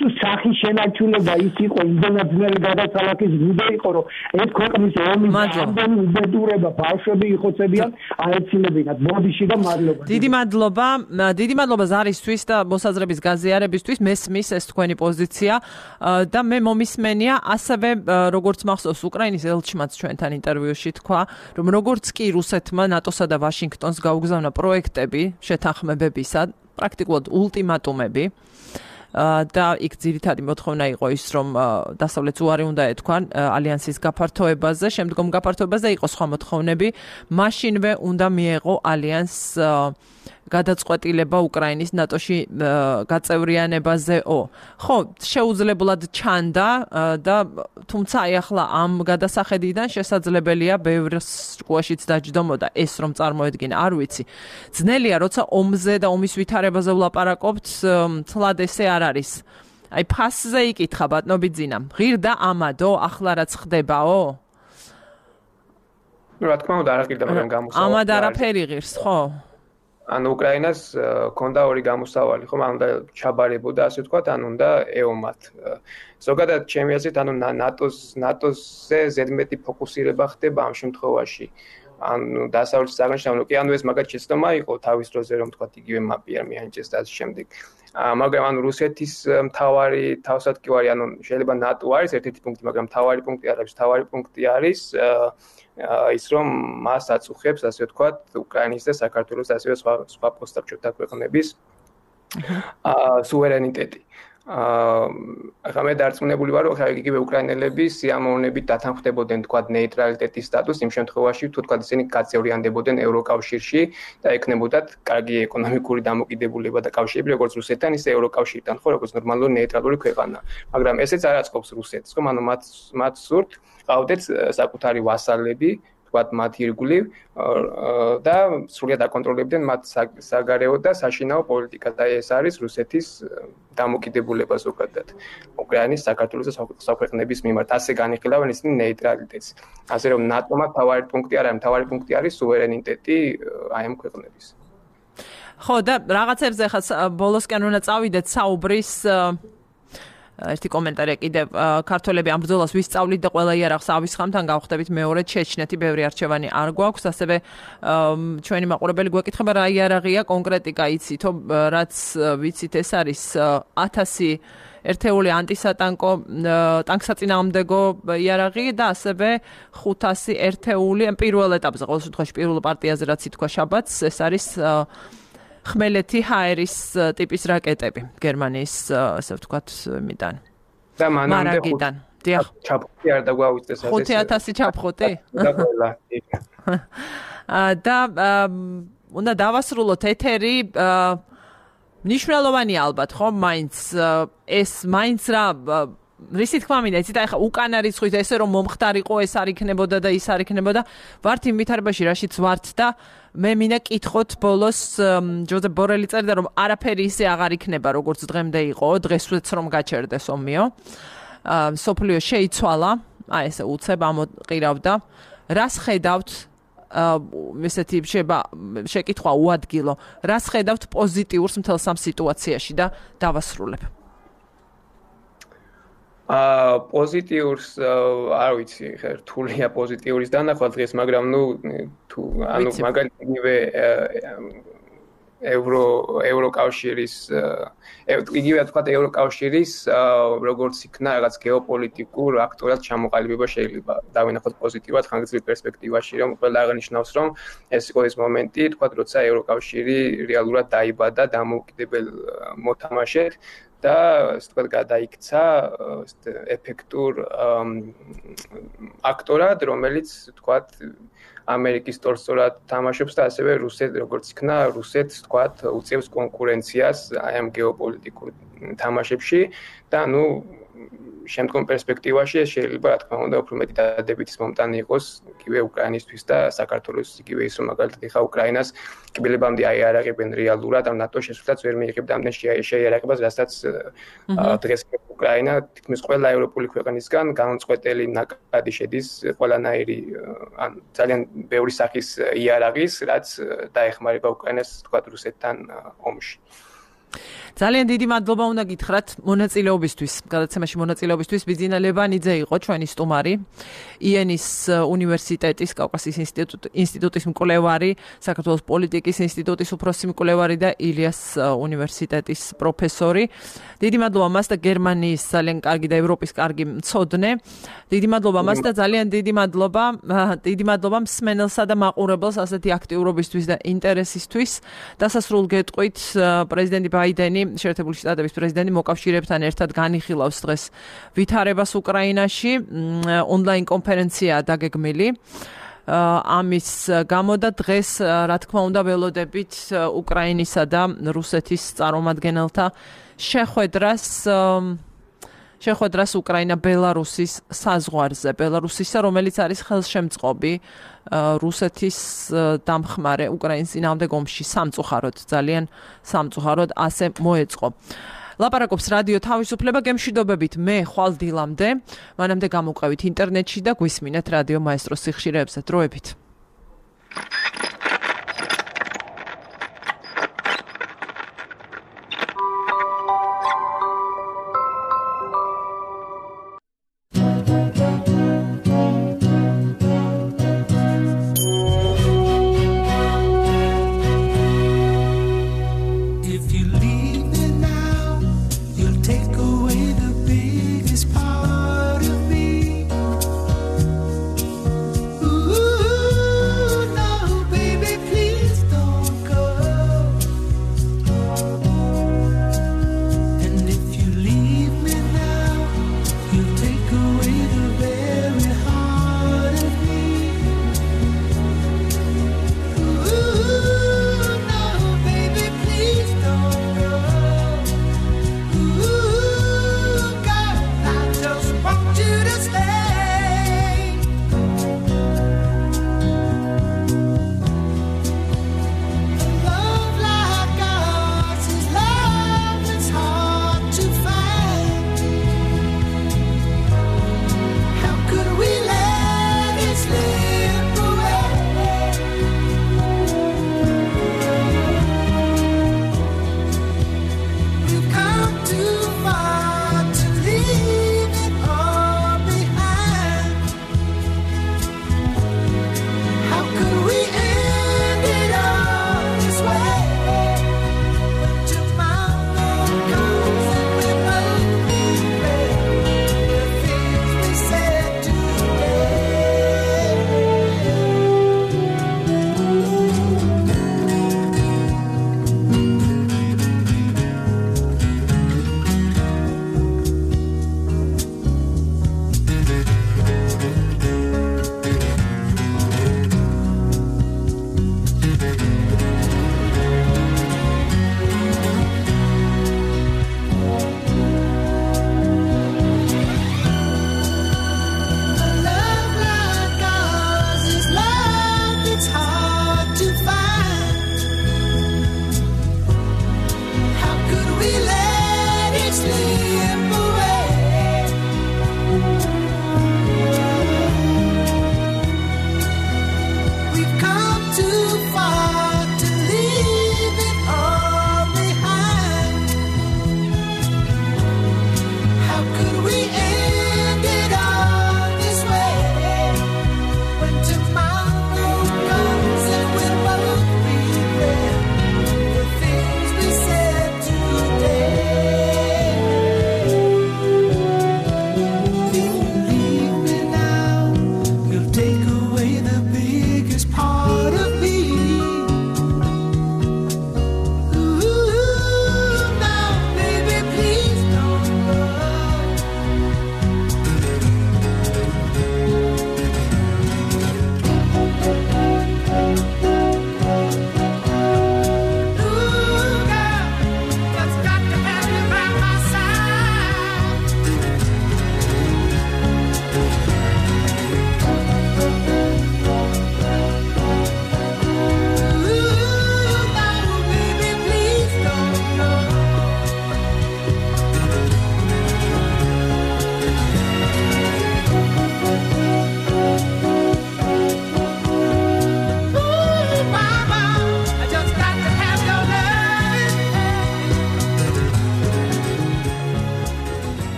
თუ სახის შენარჩუნება ის იყო იმდენად გადასალახის გუნდი იყო რომ ეს ქვეყნის ომის ამდენი უბედურება ბავშვები იხოცებიან აეცილებინათ ბოდიში და მადლობა დიდი მადლობა ზარისთვის და მოსაზრების გაზიარებისთვის მესმის ეს თქვენი პოზიცია და მე მომისმენია ასევე როგორც მახსოვს უკრაინის ელჩმაც ჩვენთან ინტერვიუში თქვა რომ როგორც კი რუსეთმა ნატოსა და ვაშინგტონს გაუგზავნა პროექტები შეთანხმებებისა პრაქტიკულად ულტიმატუმები და იქ ძირითადი მოთხოვნა იყო ის რომ დასავლეთს უარი უნდა ეთქვან ალიანსის გაფართოებაზე შემდგომ გაფართოებაზე იყო სხვა მოთხოვნები მაშინვე უნდა მიეღო ალიანსს გადაწყვეტილება უკრაინის ნატოში გაწევრიანებაზეო. ხო, შეუძლებლად ჩანდა და თუმცა აი ახლა ამ გადასახედიდან შესაძლებელია ბევრს შუაშიც დაჯდომოდა ეს რომ წარმოედგინა, არ ვიცი. ძნელია, როცა ომზე და ომის ვითარებაზე ვლაპარაკობთ, თლად ესე არ არის. აი ფასზე იკითხა ბატონო ბიძინა. ღირდა ამადო, ახლა რაც ხდებაო? რა თქმა უნდა, არ ღირდა, მაგრამ გამოსავალი. ამად არაფერი ღირს, ხო? ანუ უკრაინას ქონდა ორი გამოსავალი, ხო, ანუ და ჩაბარებოდა, ასე ვთქვათ, ანუ და ეომათ. ზოგადად ჩემი აზრით, ანუ ნატოზე ზედმეტი ფოკუსირება ხდება ამ შემთხვევაში. ანუ დასავლეთის საგანშავნო კი ანუ ეს მაგათ შეცდომა იყო თავის დროზე რომ თქვათ იგივე მაპი არ მიანიჭეს და ასე შემდეგ. მაგრამ ანუ რუსეთის მთავარი თავსატკივარი ანუ შეიძლება ნატო არის ერთ-ერთი პუნქტი, მაგრამ მთავარი პუნქტი არ არის, მთავარი პუნქტი არის ის რომ მას აწუხებს ასე ვთქვათ უკრაინის და საქართველოს და ასევე სხვა პოსტსაბჭოთა ქვეყნების სუვერენიტეტი. ახლა მე დარწმუნებული ვარ, რომ იგივე უკრაინელები სიამოვნებით დათანხმდებოდნენ თქვათ ნეიტრალიტეტის სტატუსს იმ შემთხვევაში, თუ თქვათ ისინი გაწევრიანდებოდნენ ევროკავშირში და ექნებოდათ კარგი ეკონომიკური დამოკიდებულება და კავშირები როგორც რუსეთთან, ისე ევროკავშირთან, ხო, როგორც ნორმალური ნეიტრალური ქვეყანა. მაგრამ ესეც არ აწყობს რუსეთს, ხო, ანუ მათ სურთ ყავდეთ საკუთარი ვასალები ვთქვათ მათ ირგვლივ და სრულად აკონტროლებდნენ მათ საგარეო და საშინაო პოლიტიკა და ეს არის რუსეთის დამოკიდებულება ზოგადად უკრაინის საქართველოს და სხვა ქვეყნების მიმართ ასე განიხილავენ ისინი ნეიტრალიტეტს ასე რომ ნატომ თავარი პუნქტი არ არის თავარი პუნქტი არის სუვერენიტეტი აი ამ ქვეყნების ხო და რაღაცებზე ხა ბოლოსკენ უნდა წავიდეთ საუბრის ერთი კომენტარია კიდევ ქართველები ამ ბრძოლას ვისწავლით და ყველა იარაღს ავისხამთან გავხდებით მეორე ჩეჩნეთი ბევრი არჩევანი არ გვაქვს ასევე ჩვენი მაყურებელი გვეკითხება რა იარაღია კონკრეტიკა იცითო რაც ვიცით ეს არის 1000 ერთეული ანტისატანკო ტანკსაწინააღმდეგო იარაღი და ასევე 500 ერთეული პირველ ეტაპზე ყოველ შემთხვევაში პირველ პარტიაზე რაც ითქვა შაბათს ეს არის ხმელეთი ჰაერის ტიპის რაკეტები გერმანიის ასე ვთქვათ მიდან და მანამდე დიახ ჩაფხუტი არ დაგვაუწეს ასე 5000 ჩაფხუტი და უნდა დავასრულოთ ეთერი მნიშვნელოვანი ალბათ ხო მაინც ეს მაინც რა რისი თქმა მინდა იცით ახლა უკანა რიცხვით ესე რომ მომხდარიყო ეს არ იქნებოდა და ის არ იქნებოდა ვართ იმ ვითარებაში რაშიც ვართ და მე მინდა კითხოთ ბოლოს ჯოზეფ ბორელი წერდა რომ არაფერი ისე აღარ იქნება როგორც დღემდე იყო დღესვეც რომ გაჩერდეს ომიო სოფლიო შეიცვალა აი ესე უცებ ამოყირავდა რას ხედავთ ესეთი შეკითხვა უადგილო რას ხედავთ პოზიტიურს მთელ სამ სიტუაციაში და დავასრულებ პოზიტიურს არ ვიცი ხა რთულია პოზიტიურის დანახვა დღეს მაგრამ ნუ თუ ანუ მაგალითად ევროკავშირის იგივე თქვა ევროკავშირის როგორც იქნა რაღაც გეოპოლიტიკურ აქტურად ჩამოყალიბება შეიძლება დავინახოთ პოზიტიურად ხანგრძლივ პერსპექტივაში რომ ყველა აღნიშნავს რომ ეს იყო ის მომენტი თქვა როცა ევროკავშირი რეალურად დაიბადა დამოუკიდებელ მოთამაშედ და ასე ვთქვათ გადაიქცა ეფექტურ აქტორად რომელიც ვთქვათ ამერიკის სტორსორად თამაშობს და ასევე რუსეთ როგორც იქნა რუსეთს ვთქვათ უწევს კონკურენციას აი ამ გეოპოლიტიკურ თამაშებში და ნუ შემდგომ პერსპექტივაში ეს შეიძლება რა თქმა უნდა უფრო მეტი დადებითის მომტანი იყოს იგივე უკრაინისთვის და საქართველოს იგივე ის რომ მაგალითად ეხა უკრაინას კიბელებამდე აიარაღებენ რეალურად ამ ნატოს შესვლაც ვერ მიიღებდა ამდენ შეიარაღებას რასაც დღეს უკრაინა თითქმის ყველა ევროპული ქვეყნისგან განუწყვეტელი ნაკადი შედის ყველანაირი ან ძალიან ბევრი სახის იარაღის რაც დაეხმარება უკრაინას თქვა რუსეთთან ომში ძალიან დიდი მადლობა უნდა გითხრათ მონაწილეობისთვის. გადაცემაში მონაწილეობისთვის ბიძინა ლევანიძე იყო ჩვენი სტუმარი. იენის უნივერსიტეტის კავკასიის ინსტიტუტის მკვლევარი, საქართველოს პოლიტიკის ინსტიტუტის უფროსი მკვლევარი და ილიას უნივერსიტეტის პროფესორი. დიდი მადლობა მას და გერმანიის ძალიან კარგი და ევროპის კარგი მცოდნე. დიდი მადლობა მას და ძალიან დიდი მადლობა მსმენელსა და მაყურებელს ასეთი აქტიურობისთვის და ინტერესისთვის. დასასრულ გეტყვით პრეზიდენტი ბაიდენი შეერთებული შტატების პრეზიდენტი მოკავშირეებთან ერთად განიხილავს დღეს ვითარებას უკრაინაში ონლაინ კონფერენცია დაგეგმილი ამის გამო და დღეს რა თქმა უნდა ველოდებით უკრაინისა და რუსეთის წარმომადგენელთა შეხვედრას უკრაინა-ბელარუსის საზღვარზე ბელარუსისა რომელიც არის ხელშემწყობი რუსეთის დამხმარე უკრაინის წინააღმდეგ ომში ძალიან სამწუხაროდ ასე მოეწყო. ლაპარაკობს რადიო თავისუფლება გემშვიდობებით მე ხვალ დილამდე მანამდე გამოვყევით ინტერნეტში და გვისმინეთ რადიო მაესტროს სიხშირეებზე დროებით.